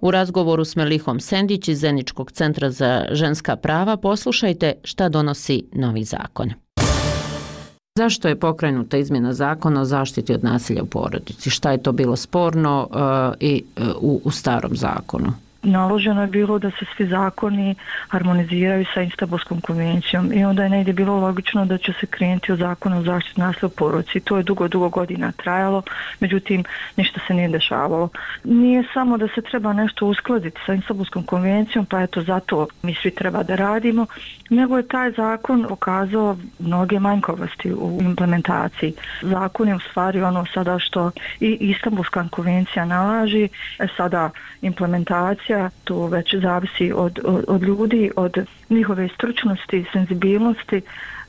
U razgovoru s Melihom Sendić iz Zeničkog centra za ženska prava poslušajte šta donosi novi zakon. Zašto je pokrenuta izmjena zakona o zaštiti od nasilja u porodici? Šta je to bilo sporno uh, i uh, u, u starom zakonu? Naloženo je bilo da se svi zakoni harmoniziraju sa Istanbulskom konvencijom i onda je negdje bilo logično da će se krenuti u zakonu o zaštiti nasilja u porodici. To je dugo, dugo godina trajalo, međutim ništa se nije dešavalo. Nije samo da se treba nešto uskladiti sa Istanbulskom konvencijom, pa eto zato mi svi treba da radimo, nego je taj zakon pokazao mnoge manjkovosti u implementaciji. Zakon je u stvari ono sada što i Istanbulska konvencija nalaži, sada implementacija to već zavisi od, od, od ljudi, od njihove stručnosti, senzibilnosti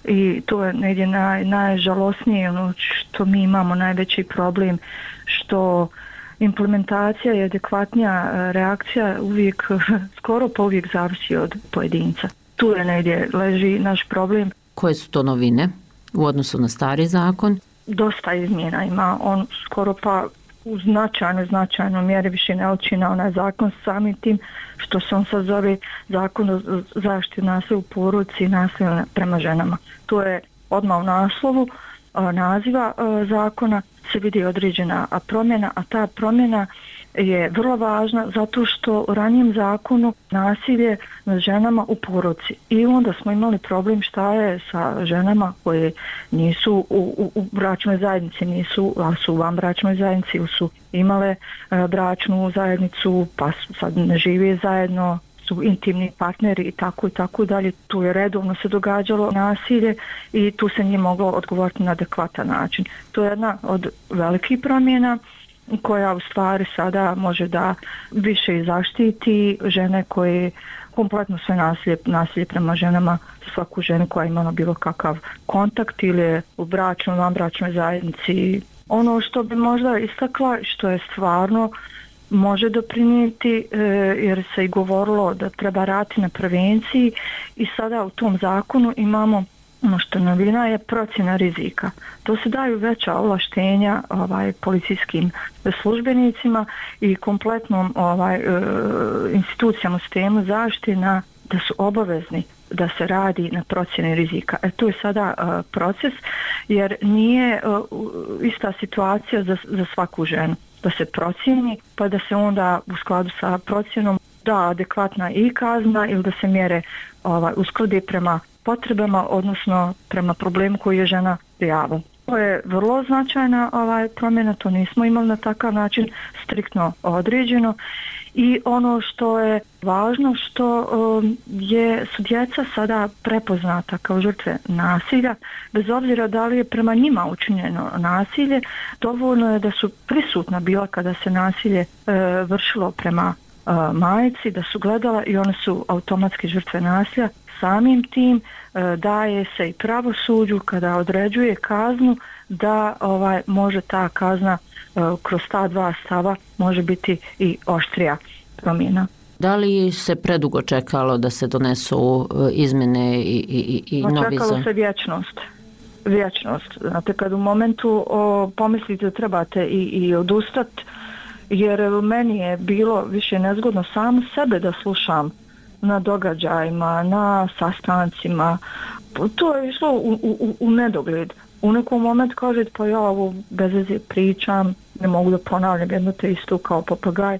i to je negdje naj, najžalosnije, ono što mi imamo najveći problem, što implementacija i adekvatnija reakcija uvijek, skoro pa uvijek zavisi od pojedinca. Tu je negdje leži naš problem. Koje su to novine u odnosu na stari zakon? Dosta izmjena ima, on skoro pa u značajnoj, značajnoj mjeri više ne liči na onaj zakon samim tim što se on sad zove zakon o zaštiti nasilja u porodici i nasilja prema ženama. To je odmah u naslovu naziva zakona se vidi određena promjena, a ta promjena je vrlo važna zato što u ranijem zakonu nasilje nad ženama u porodici i onda smo imali problem šta je sa ženama koje nisu u, u, u bračnoj zajednici, nisu, a su u vanbračnoj zajednici ili su imale e, bračnu zajednicu pa su, sad ne žive zajedno, su intimni partneri i tako i tako dalje. Tu je redovno se događalo nasilje i tu se nije moglo odgovoriti na adekvatan način. To je jedna od velikih promjena koja u stvari sada može da više zaštiti žene koje kompletno sve nasilje, nasilje prema ženama, svaku ženu koja ima bilo kakav kontakt ili u bračnoj, vanbračnoj zajednici. Ono što bi možda istakla, što je stvarno može doprinijeti, jer se i govorilo da treba raditi na prevenciji i sada u tom zakonu imamo ono što novina je procjena rizika. To se daju veća ovlaštenja ovaj, policijskim službenicima i kompletnom ovaj, institucijama u sistemu zaštite na, da su obavezni da se radi na procjeni rizika. E to je sada uh, proces jer nije uh, ista situacija za, za svaku ženu. Da se procijeni pa da se onda u skladu sa procjenom da adekvatna i kazna ili da se mjere ovaj, usklade prema potrebama, odnosno prema problemu koji je žena prijavila. To je vrlo značajna ovaj, promjena, to nismo imali na takav način striktno određeno i ono što je važno što um, je, su djeca sada prepoznata kao žrtve nasilja, bez obzira da li je prema njima učinjeno nasilje, dovoljno je da su prisutna bila kada se nasilje e, vršilo prema e, majci, da su gledala i one su automatski žrtve nasilja. Samim tim e, daje se i pravosuđu kada određuje kaznu da ovaj može ta kazna e, kroz ta dva stava može biti i oštrija promjena. Da li se predugo čekalo da se donesu izmjene i, i, i novi zakon? Čekalo se vječnost. Vječnost. Znate, kad u momentu o, pomislite da trebate i, i odustati, jer meni je bilo više nezgodno samo sebe da slušam na događajima, na sastancima. To je išlo u, u, u nedogled. U nekom momentu kažete pa ja ovo bez veze pričam, ne mogu da ponavljam jedno te isto kao papagaj.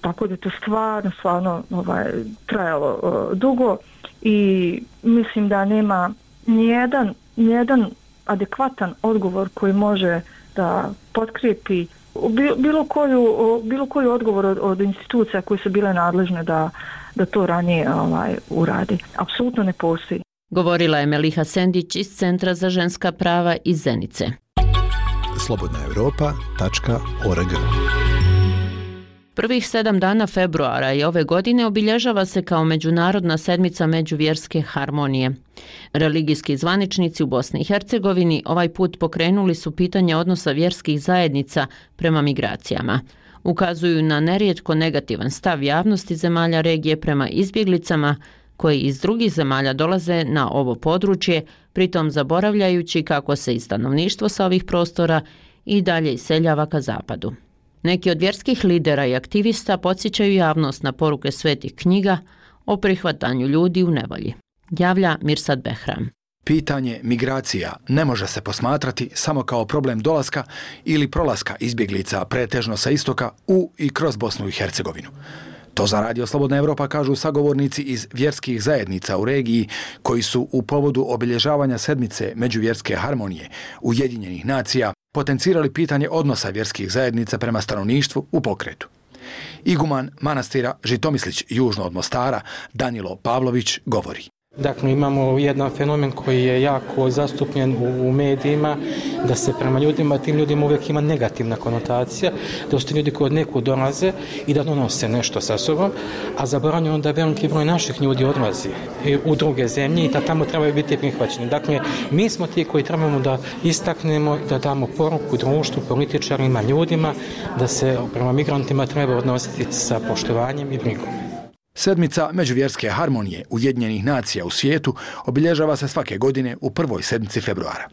Tako da je to stvarno, stvarno ovaj, trajalo uh, dugo i mislim da nema nijedan, nijedan adekvatan odgovor koji može da potkrijepi bilo koju, bilo koju odgovor od, od institucija koje su bile nadležne da, da to ranije ovaj, uradi. Apsolutno ne postoji. Govorila je Meliha Sendić iz Centra za ženska prava iz Zenice. slobodna europa tačka org. Prvih sedam dana februara i ove godine obilježava se kao Međunarodna sedmica međuvjerske harmonije. Religijski zvaničnici u Bosni i Hercegovini ovaj put pokrenuli su pitanje odnosa vjerskih zajednica prema migracijama. Ukazuju na nerijetko negativan stav javnosti zemalja regije prema izbjeglicama koji iz drugih zemalja dolaze na ovo područje, pritom zaboravljajući kako se i stanovništvo sa ovih prostora i dalje iseljava ka zapadu. Neki od vjerskih lidera i aktivista podsjećaju javnost na poruke svetih knjiga o prihvatanju ljudi u nevolji. Javlja Mirsad Behram. Pitanje migracija ne može se posmatrati samo kao problem dolaska ili prolaska izbjeglica pretežno sa istoka u i kroz Bosnu i Hercegovinu. To za Radio Slobodna Evropa kažu sagovornici iz vjerskih zajednica u regiji koji su u povodu obilježavanja sedmice međuvjerske harmonije Ujedinjenih nacija potencirali pitanje odnosa vjerskih zajednica prema stanovništvu u pokretu. Iguman manastira Žitomislić južno od Mostara Danilo Pavlović govori. Dakle, imamo jedan fenomen koji je jako zastupljen u, u medijima, da se prema ljudima, tim ljudima uvijek ima negativna konotacija, da su ti ljudi koji od nekud dolaze i da donose nešto sa sobom, a zaboravljeno da veliki broj naših ljudi odlazi u druge zemlje i da tamo trebaju biti prihvaćeni. Dakle, mi smo ti koji trebamo da istaknemo, da damo poruku društvu, političarima, ljudima, da se prema migrantima treba odnositi sa poštovanjem i brigom. Sedmica međuvjerske harmonije Ujedinjenih nacija u svijetu obilježava se svake godine u prvoj sedmici februara.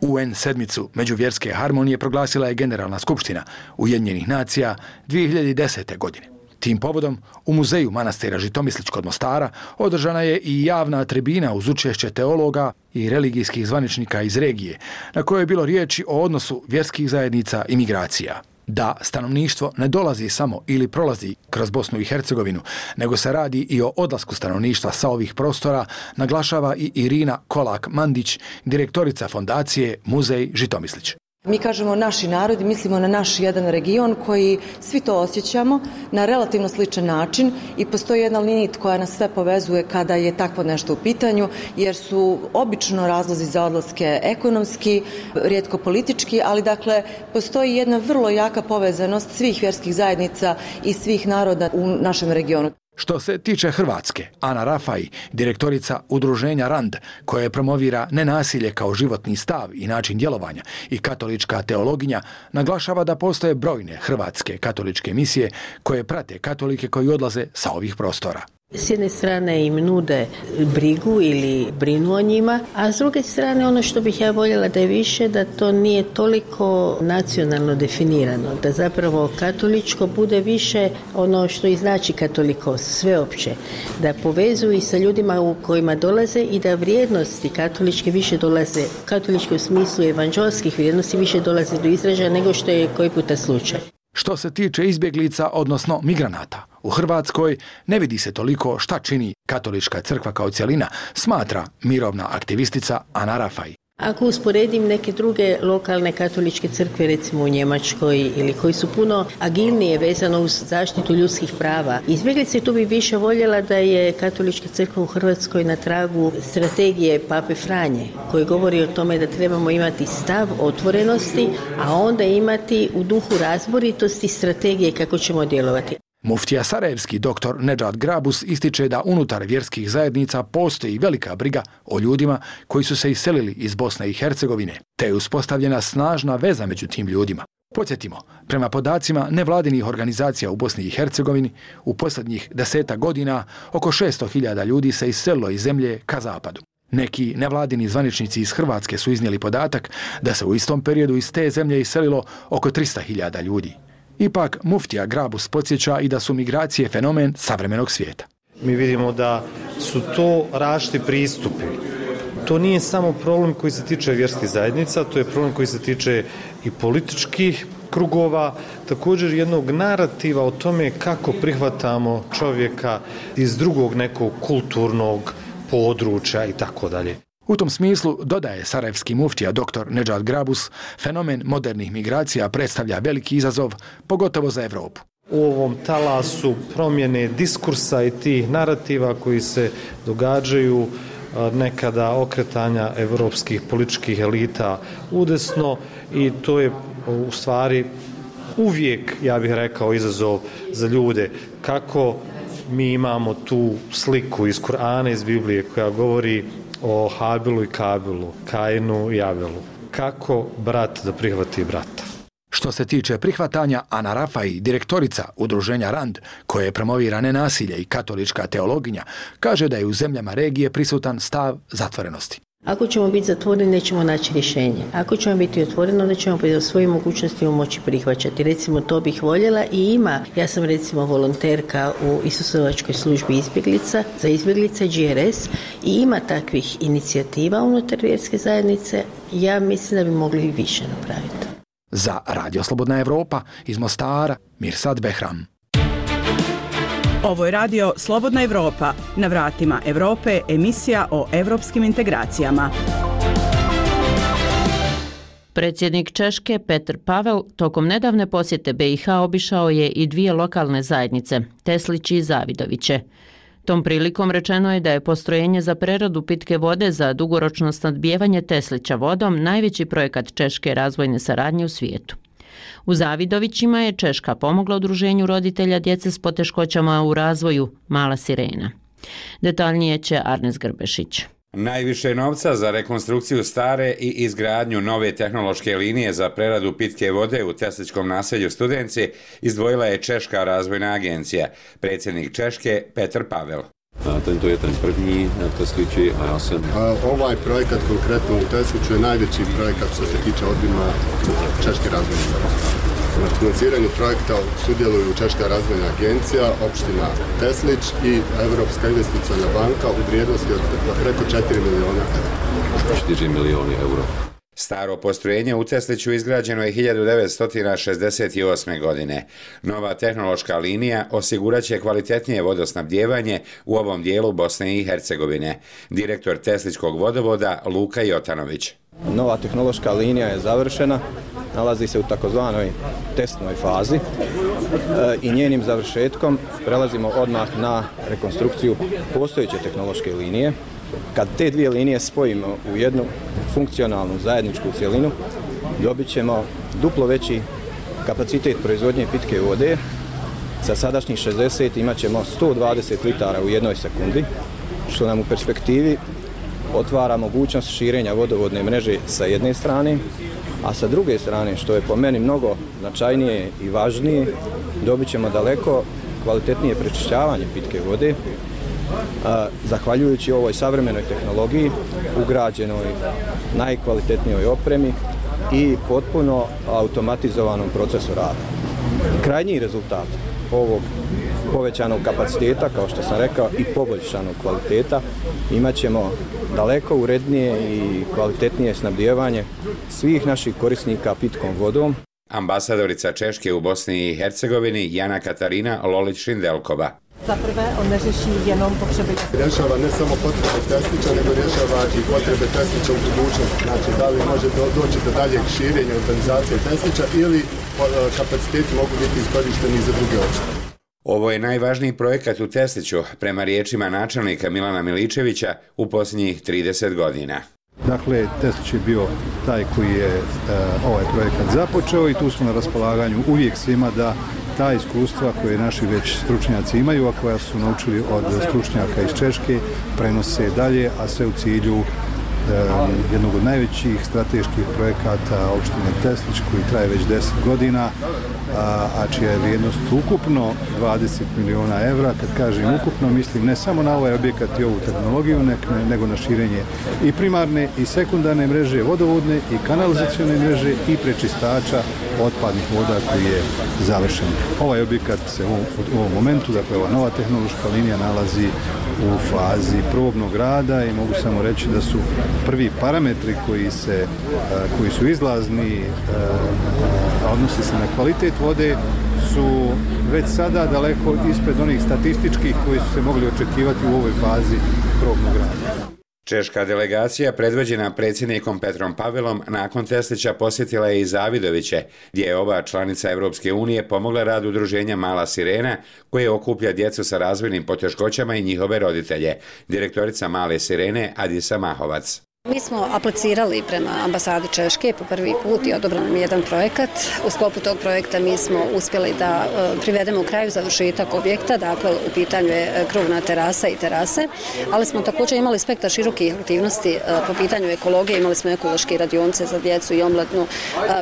U en sedmicu međuvjerske harmonije proglasila je Generalna skupština Ujedinjenih nacija dvije hiljade desete. godine. Tim povodom u muzeju manastira Žitomislić kod Mostara održana je i javna tribina uz učešće teologa i religijskih zvaničnika iz regije, na kojoj je bilo riječi o odnosu vjerskih zajednica i migracija. Da stanovništvo ne dolazi samo ili prolazi kroz Bosnu i Hercegovinu, nego se radi i o odlasku stanovništva sa ovih prostora, naglašava i Irina Kolak-Mandić, direktorica fondacije Muzej Žitomislić. Mi kažemo naši narodi, mislimo na naš jedan region koji svi to osjećamo na relativno sličan način i postoji jedna linija koja nas sve povezuje kada je takvo nešto u pitanju, jer su obično razlozi za odlaske ekonomski, rijetko politički, ali dakle postoji jedna vrlo jaka povezanost svih vjerskih zajednica i svih naroda u našem regionu. Što se tiče Hrvatske, Ana Rafaj, direktorica udruženja RAND, koje promovira nenasilje kao životni stav i način djelovanja i katolička teologinja, naglašava da postoje brojne hrvatske katoličke misije koje prate katolike koji odlaze sa ovih prostora. S jedne strane im nude brigu ili brinu o njima, a s druge strane ono što bih ja voljela da je više, da to nije toliko nacionalno definirano, da zapravo katoličko bude više ono što i znači katolikos, sveopće, da povezuju i sa ljudima u kojima dolaze i da vrijednosti katoličke više dolaze, katoličke u smislu evanđelskih vrijednosti više dolaze do izražaja nego što je koji puta slučaj. Što se tiče izbjeglica, odnosno migranata, u Hrvatskoj ne vidi se toliko šta čini katolička crkva kao cjelina, smatra mirovna aktivistica Ana Rafaj. Ako usporedim neke druge lokalne katoličke crkve, recimo u Njemačkoj, ili koji su puno agilnije vezano uz zaštitu ljudskih prava, izbjeglice, tu bi više voljela da je katolička crkva u Hrvatskoj na tragu strategije Pape Franje, koji govori o tome da trebamo imati stav otvorenosti, a onda imati u duhu razboritosti strategije kako ćemo djelovati. Muftija sarajevski doktor Nedžad Grabus ističe da unutar vjerskih zajednica postoji velika briga o ljudima koji su se iselili iz Bosne i Hercegovine, te je uspostavljena snažna veza među tim ljudima. Podsjetimo, prema podacima nevladinih organizacija u Bosni i Hercegovini, u posljednjih deseta godina oko šesto hiljada ljudi se iselilo iz zemlje ka zapadu. Neki nevladini zvaničnici iz Hrvatske su iznijeli podatak da se u istom periodu iz te zemlje iselilo oko tristo hiljada ljudi. Ipak, muftija Grabus podsjeća i da su migracije fenomen savremenog svijeta. Mi vidimo da su to različiti pristupi. To nije samo problem koji se tiče vjerskih zajednica, to je problem koji se tiče i političkih krugova, također jednog narativa o tome kako prihvatamo čovjeka iz drugog nekog kulturnog područja i tako dalje. U tom smislu, dodaje sarajevski muftija doktor Nedžad Grabus, fenomen modernih migracija predstavlja veliki izazov, pogotovo za Evropu. U ovom talasu promjene diskursa i tih narativa koji se događaju, nekada okretanja evropskih političkih elita udesno, i to je u stvari uvijek, ja bih rekao, izazov za ljude. Kako mi imamo tu sliku iz Kur'ana, iz Biblije, koja govori o Habilu i Kabilu, Kainu i Abelu. Kako brat da prihvati brata? Što se tiče prihvatanja, Ana Rafaj, direktorica udruženja RAND, koje promovira nenasilje i katolička teologinja, kaže da je u zemljama regije prisutan stav zatvorenosti. Ako ćemo biti zatvoreni, nećemo naći rješenje. Ako ćemo biti otvoreni, onda ćemo po svojim mogućnostima moći prihvaćati. Recimo, to bih voljela i ima. Ja sam recimo volonterka u Isusovačkoj službi izbjeglica, za izbjeglice G R S, i ima takvih inicijativa unutar vjerske zajednice. Ja mislim da bi mogli i više napraviti. Za Radio Slobodna Evropa iz Mostara, Mirsad Behram. Ovo je radio Slobodna Evropa. Na vratima Evrope, emisija o evropskim integracijama. Predsjednik Češke Petr Pavel tokom nedavne posjete B i H obišao je i dvije lokalne zajednice, Teslići i Zavidoviće. Tom prilikom rečeno je da je postrojenje za preradu pitke vode za dugoročno snabdijevanje Teslića vodom najveći projekat češke razvojne saradnje u svijetu. U Zavidovićima je Češka pomogla udruženju roditelja djece s poteškoćama u razvoju Mala sirena. Detaljnije će Arnes Grbešić. Najviše novca za rekonstrukciju stare i izgradnju nove tehnološke linije za preradu pitke vode u Teslićkom naselju Studenci izdvojila je Češka razvojna agencija. Predsjednik Češke Petr Pavel. Tento je ten první Teslići, a ja sam... Ovaj projekat konkretno u Tesliću je najveći projekat što se tiče obima Češke razvojne agencije. Na financiranju projekta sudjeluju Češka razvojna agencija, opština Teslić i Evropska investiciona banka u vrijednosti od preko četiri miliona eura. četiri milioni eura. Staro postrojenje u Tesliću izgrađeno je hiljadu devetsto šezdeset osme. godine. Nova tehnološka linija osiguraće kvalitetnije vodosnabdijevanje u ovom dijelu Bosne i Hercegovine. Direktor Teslićkog vodovoda Luka Jotanović. Nova tehnološka linija je završena, nalazi se u takozvanoj testnoj fazi e, i njenim završetkom prelazimo odmah na rekonstrukciju postojeće tehnološke linije. Kad te dvije linije spojimo u jednu funkcionalnu zajedničku cjelinu, dobit ćemo duplo veći kapacitet proizvodnje pitke vode. Sa sadašnjih šezdeset imat ćemo sto dvadeset litara u jednoj sekundi, što nam u perspektivi otvara mogućnost širenja vodovodne mreže sa jedne strane, a sa druge strane, što je po meni mnogo značajnije i važnije, dobit ćemo daleko kvalitetnije prečišćavanje pitke vode, zahvaljujući ovoj savremenoj tehnologiji, ugrađenoj najkvalitetnijoj opremi i potpuno automatizovanom procesu rada. Krajnji rezultat ovog povećanog kapaciteta, kao što sam rekao, i poboljšanog kvaliteta, imat ćemo daleko urednije i kvalitetnije snabdijevanje svih naših korisnika pitkom vodom. Ambasadorica Češke u Bosni i Hercegovini Jana Katarina Lolić-Šindelkova. Za prvé, on neřeší jenom potřeby. Rješava ne samo potrebe Teslića, nego rješava i potrebe Teslića u budućnosti. Znači, da li može do, doći do daljeg širenja organizacije Teslića ili kapaciteti mogu biti iskorišteni za druge opštine. Ovo je najvažniji projekat u Tesliću, prema riječima načelnika Milana Miličevića, u posljednjih trideset godina. Dakle, Teslić je bio taj koji je e, ovaj projekat započeo i tu smo na raspolaganju uvijek svima da ta iskustva koje naši već stručnjaci imaju, a koja su naučili od stručnjaka iz Češke, prenose dalje, a sve u cilju e, jednog od najvećih strateških projekata opštine Teslić koji traje već deset godina, a, a čija je vrijednost ukupno dvadeset miliona evra. Kad kažem ukupno, mislim ne samo na ovaj objekat i ovu tehnologiju, ne, nego na širenje i primarne i sekundarne mreže, vodovodne i kanalizacione mreže i prečistača otpadnih voda koji je završen. Ovaj objekat se u, u ovom momentu, dakle ova nova tehnološka linija, nalazi u fazi probnog rada i mogu samo reći da su prvi parametri koji, se, koji su izlazni, a odnosi se na kvalitet vode, su već sada daleko ispred onih statističkih koji su se mogli očekivati u ovoj fazi probnog rada. Češka delegacija, predvođena predsjednikom Petrom Pavelom, nakon Teslića posjetila je i Zavidoviće, gdje je ova članica Evropske unije pomogla rad udruženja Mala Sirena, koje okuplja djecu sa razvojnim poteškoćama i njihove roditelje. Direktorica Male Sirene Adisa Mahovac. Mi smo aplicirali prema ambasadi Češke po prvi put i odobran nam jedan projekat. U sklopu tog projekta mi smo uspjeli da privedemo u kraju završetak objekta, dakle u pitanju je krovna terasa i terase, ali smo također imali spektar širokih aktivnosti po pitanju ekologije, imali smo ekološke radionce za djecu i omladnu,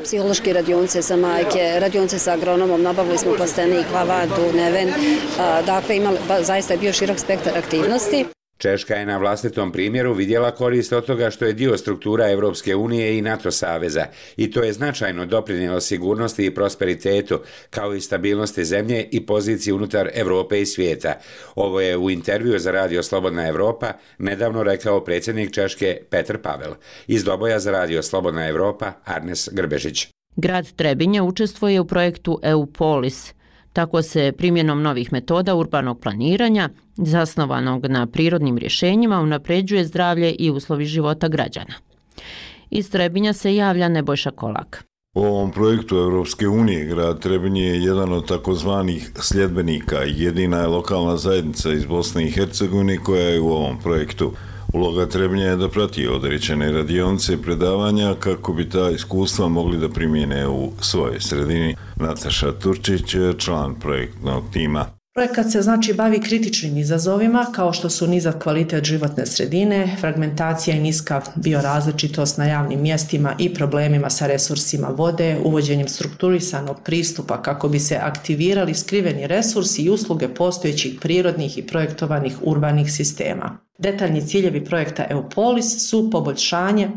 psihološke radionce za majke, radionce sa agronomom, nabavili smo plastenik, lavadu, neven, dakle imali, zaista je bio širok spektar aktivnosti. Češka je na vlastitom primjeru vidjela korist od toga što je dio struktura Evropske unije i NATO saveza i to je značajno doprinijelo sigurnosti i prosperitetu, kao i stabilnosti zemlje i poziciji unutar Evrope i svijeta. Ovo je u intervju za Radio Slobodna Evropa nedavno rekao predsjednik Češke Petr Pavel. Iz Doboja za Radio Slobodna Evropa Arnes Grbežić. Grad Trebinje učestvuje u projektu EUPOLIS. Tako se primjenom novih metoda urbanog planiranja, zasnovanog na prirodnim rješenjima, unapređuje zdravlje i uslovi života građana. Iz Trebinja se javlja Nebojša Kolak. U ovom projektu Evropske unije grad Trebinje je jedan od takozvanih sljedbenika i jedina je lokalna zajednica iz Bosne i Hercegovine koja je u ovom projektu. Uloga Trebinja je da prati određene radionice i predavanja kako bi ta iskustva mogli da primijene u svojoj sredini. Nataša Turčić je član projektnog tima. Projekat se znači bavi kritičnim izazovima kao što su nizak kvalitet životne sredine, fragmentacija i niska biorazličitost na javnim mjestima i problemima sa resursima vode, uvođenjem strukturisanog pristupa kako bi se aktivirali skriveni resursi i usluge postojećih prirodnih i projektovanih urbanih sistema. Detaljni ciljevi projekta EUPOLIS su poboljšanje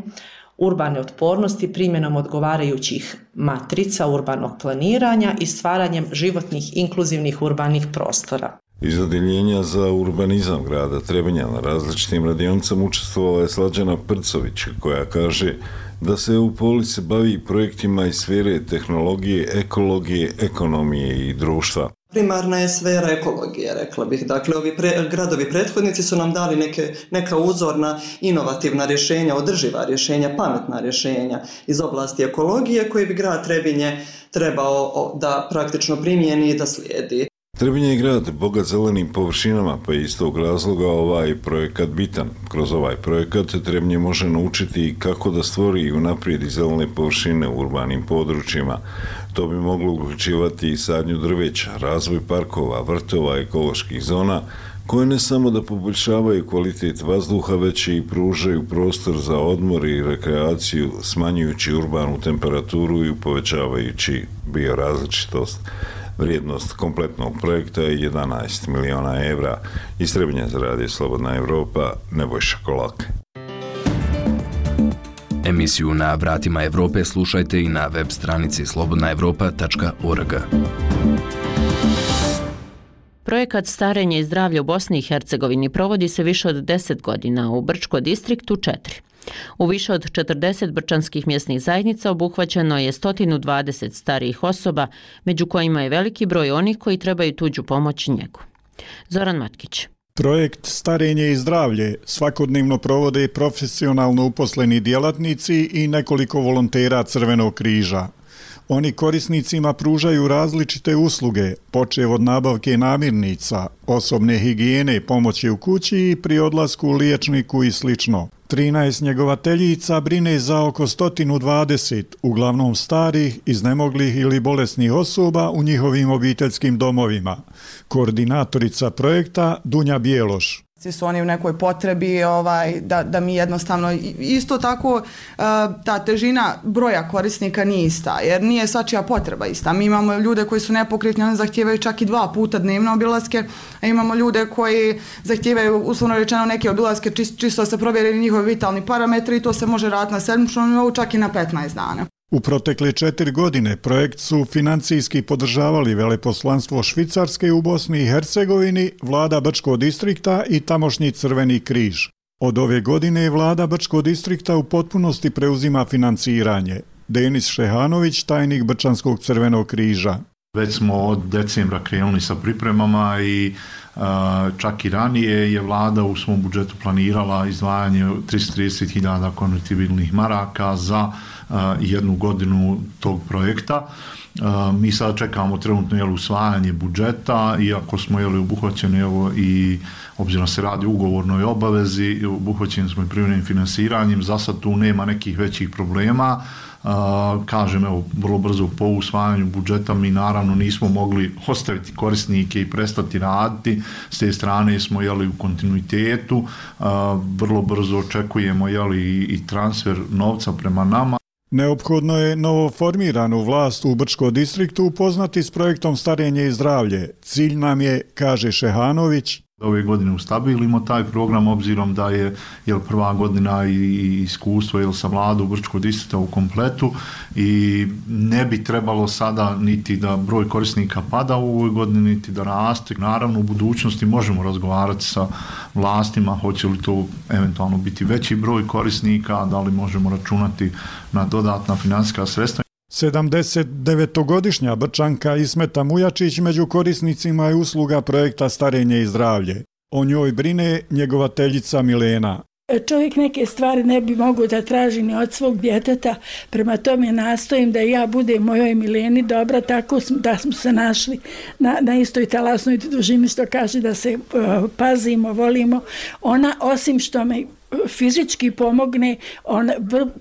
urbane otpornosti primjenom odgovarajućih matrica urbanog planiranja i stvaranjem životnih inkluzivnih urbanih prostora. Iz odjeljenja za urbanizam grada Trebinja na različitim radionicama učestvovala je Slađana Prcović, koja kaže da se u Police bavi projektima iz sfere tehnologije, ekologije, ekonomije i društva. Primarna je sfera ekologije, rekla bih. Dakle, ovi pre, gradovi prethodnici su nam dali neke, neka uzorna, inovativna rješenja, održiva rješenja, pametna rješenja iz oblasti ekologije koje bi grad Trebinje trebao da praktično primijeni i da slijedi. Trebinje je grad bogat zelenim površinama, pa je iz tog razloga ovaj projekat bitan. Kroz ovaj projekat Trebinje može naučiti kako da stvori i unaprijedi zelene površine u urbanim područjima. To bi moglo uključivati i sadnju drveća, razvoj parkova, vrtova, ekoloških zona, koje ne samo da poboljšavaju kvalitet vazduha, već i pružaju prostor za odmor i rekreaciju, smanjujući urbanu temperaturu i povećavajući biorazličitost. Vrijednost kompletnog projekta je jedanaest miliona evra. Iz Trebinja za radio Slobodna Evropa, Nebojša Kolak. Emisiju Na vratima Evrope slušajte i na web stranici slobodna evropa tačka org. Projekat Starenje i zdravlje u Bosni i Hercegovini provodi se više od deset godina, u Brčko distriktu četiri. U više od četrdeset brčanskih mjesnih zajednica obuhvaćeno je sto dvadeset starijih osoba, među kojima je veliki broj onih koji trebaju tuđu pomoć i njegu. Zoran Matkić. Projekt Starenje i zdravlje svakodnevno provode profesionalno uposleni djelatnici i nekoliko volontera Crvenog križa. Oni korisnicima pružaju različite usluge, počev od nabavke namirnica, osobne higijene, pomoći u kući i pri odlasku u liječniku i slično. trinaest njegovateljica brine za oko sto dvadeset, uglavnom starih, iznemoglih ili bolesnih osoba u njihovim obiteljskim domovima. Koordinatorica projekta Dunja Bijeloš. Svi su oni u nekoj potrebi ovaj, da, da mi jednostavno, isto tako ta težina broja korisnika nije ista, jer nije svačija potreba ista. Mi imamo ljude koji su nepokretni, oni zahtijevaju čak i dva puta dnevno obilaske, a imamo ljude koji zahtijevaju, uslovno rečeno, neke obilaske čisto se provjeri njihovi vitalni parametri i to se može raditi na sedmičnom nivou, čak i na petnaest dana. U protekle četiri godine projekt su financijski podržavali veleposlanstvo Švicarske u Bosni i Hercegovini, vlada Brčkog distrikta i tamošnji Crveni križ. Od ove godine vlada Brčkog distrikta u potpunosti preuzima financiranje. Denis Šehanović, tajnik Brčanskog Crvenog križa. Već smo od decembra krenuli sa pripremama i uh, čak i ranije je vlada u svom budžetu planirala izdvajanje tristo trideset hiljada konvertibilnih maraka za uh, jednu godinu tog projekta. Uh, mi sad čekamo trenutno jel, usvajanje budžeta, iako smo jel, obuhvaćeni evo, i obzirom se radi o ugovornoj obavezi, obuhvaćeni smo i privremenim finansiranjem, za sad tu nema nekih većih problema. Uh, kažem, evo, vrlo brzo po usvajanju budžeta mi naravno nismo mogli ostaviti korisnike i prestati raditi, s te strane smo jeli, u kontinuitetu, uh, vrlo brzo očekujemo jeli, i transfer novca prema nama. Neophodno je novoformiranu vlast u Brčkom distriktu upoznati s projektom Starenje i zdravlje. Cilj nam je, kaže Šehanović, ove godine ustabilimo taj program obzirom da je jel, prva godina i iskustvo jel, sa vladom Brčkog distrikta u kompletu i ne bi trebalo sada niti da broj korisnika pada u ovoj godini, niti da raste. Naravno u budućnosti možemo razgovarati sa vlastima, hoće li to eventualno biti veći broj korisnika, da li možemo računati na dodatna financijska sredstva. sedamdesetdevetogodišnja Brčanka Ismeta Mujačić među korisnicima je usluga projekta Starenje i zdravlje. O njoj brine njegovateljica Milena. Čovjek neke stvari ne bi mogao da traži ni od svog djeteta, prema tome nastojim da ja budem mojoj Mileni dobra, tako da smo se našli na, na istoj talasnoj dužini, što kaže da se uh, pazimo, volimo. Ona, osim što me fizički pomogne, on,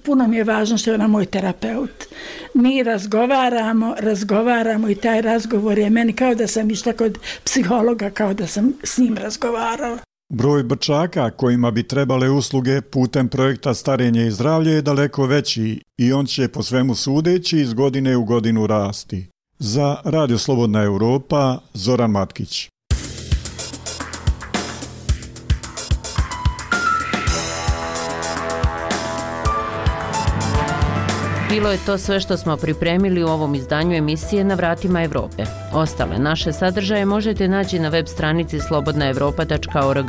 puno mi je važno što je ona moj terapeut. Mi razgovaramo, razgovaramo i taj razgovor je meni kao da sam išla kod psihologa, kao da sam s njim razgovarala. Broj Brčaka kojima bi trebale usluge putem projekta Starenje i zdravlje je daleko veći i on će po svemu sudeći iz godine u godinu rasti. Za Radio Slobodna Evropa, Zoran Matkić. Bilo je to sve što smo pripremili u ovom izdanju emisije Na vratima Evrope. Ostale naše sadržaje možete naći na web stranici slobodna evropa tačka org,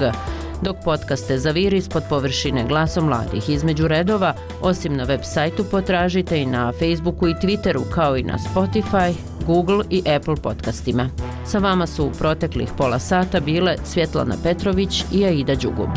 dok podcaste Zaviri ispod površine glasom mladih između redova, osim na web sajtu potražite i na Facebooku i Twitteru, kao i na Spotify, Google i Apple podcastima. Sa vama su u proteklih pola sata bile Svjetlana Petrović i Aida Đugub.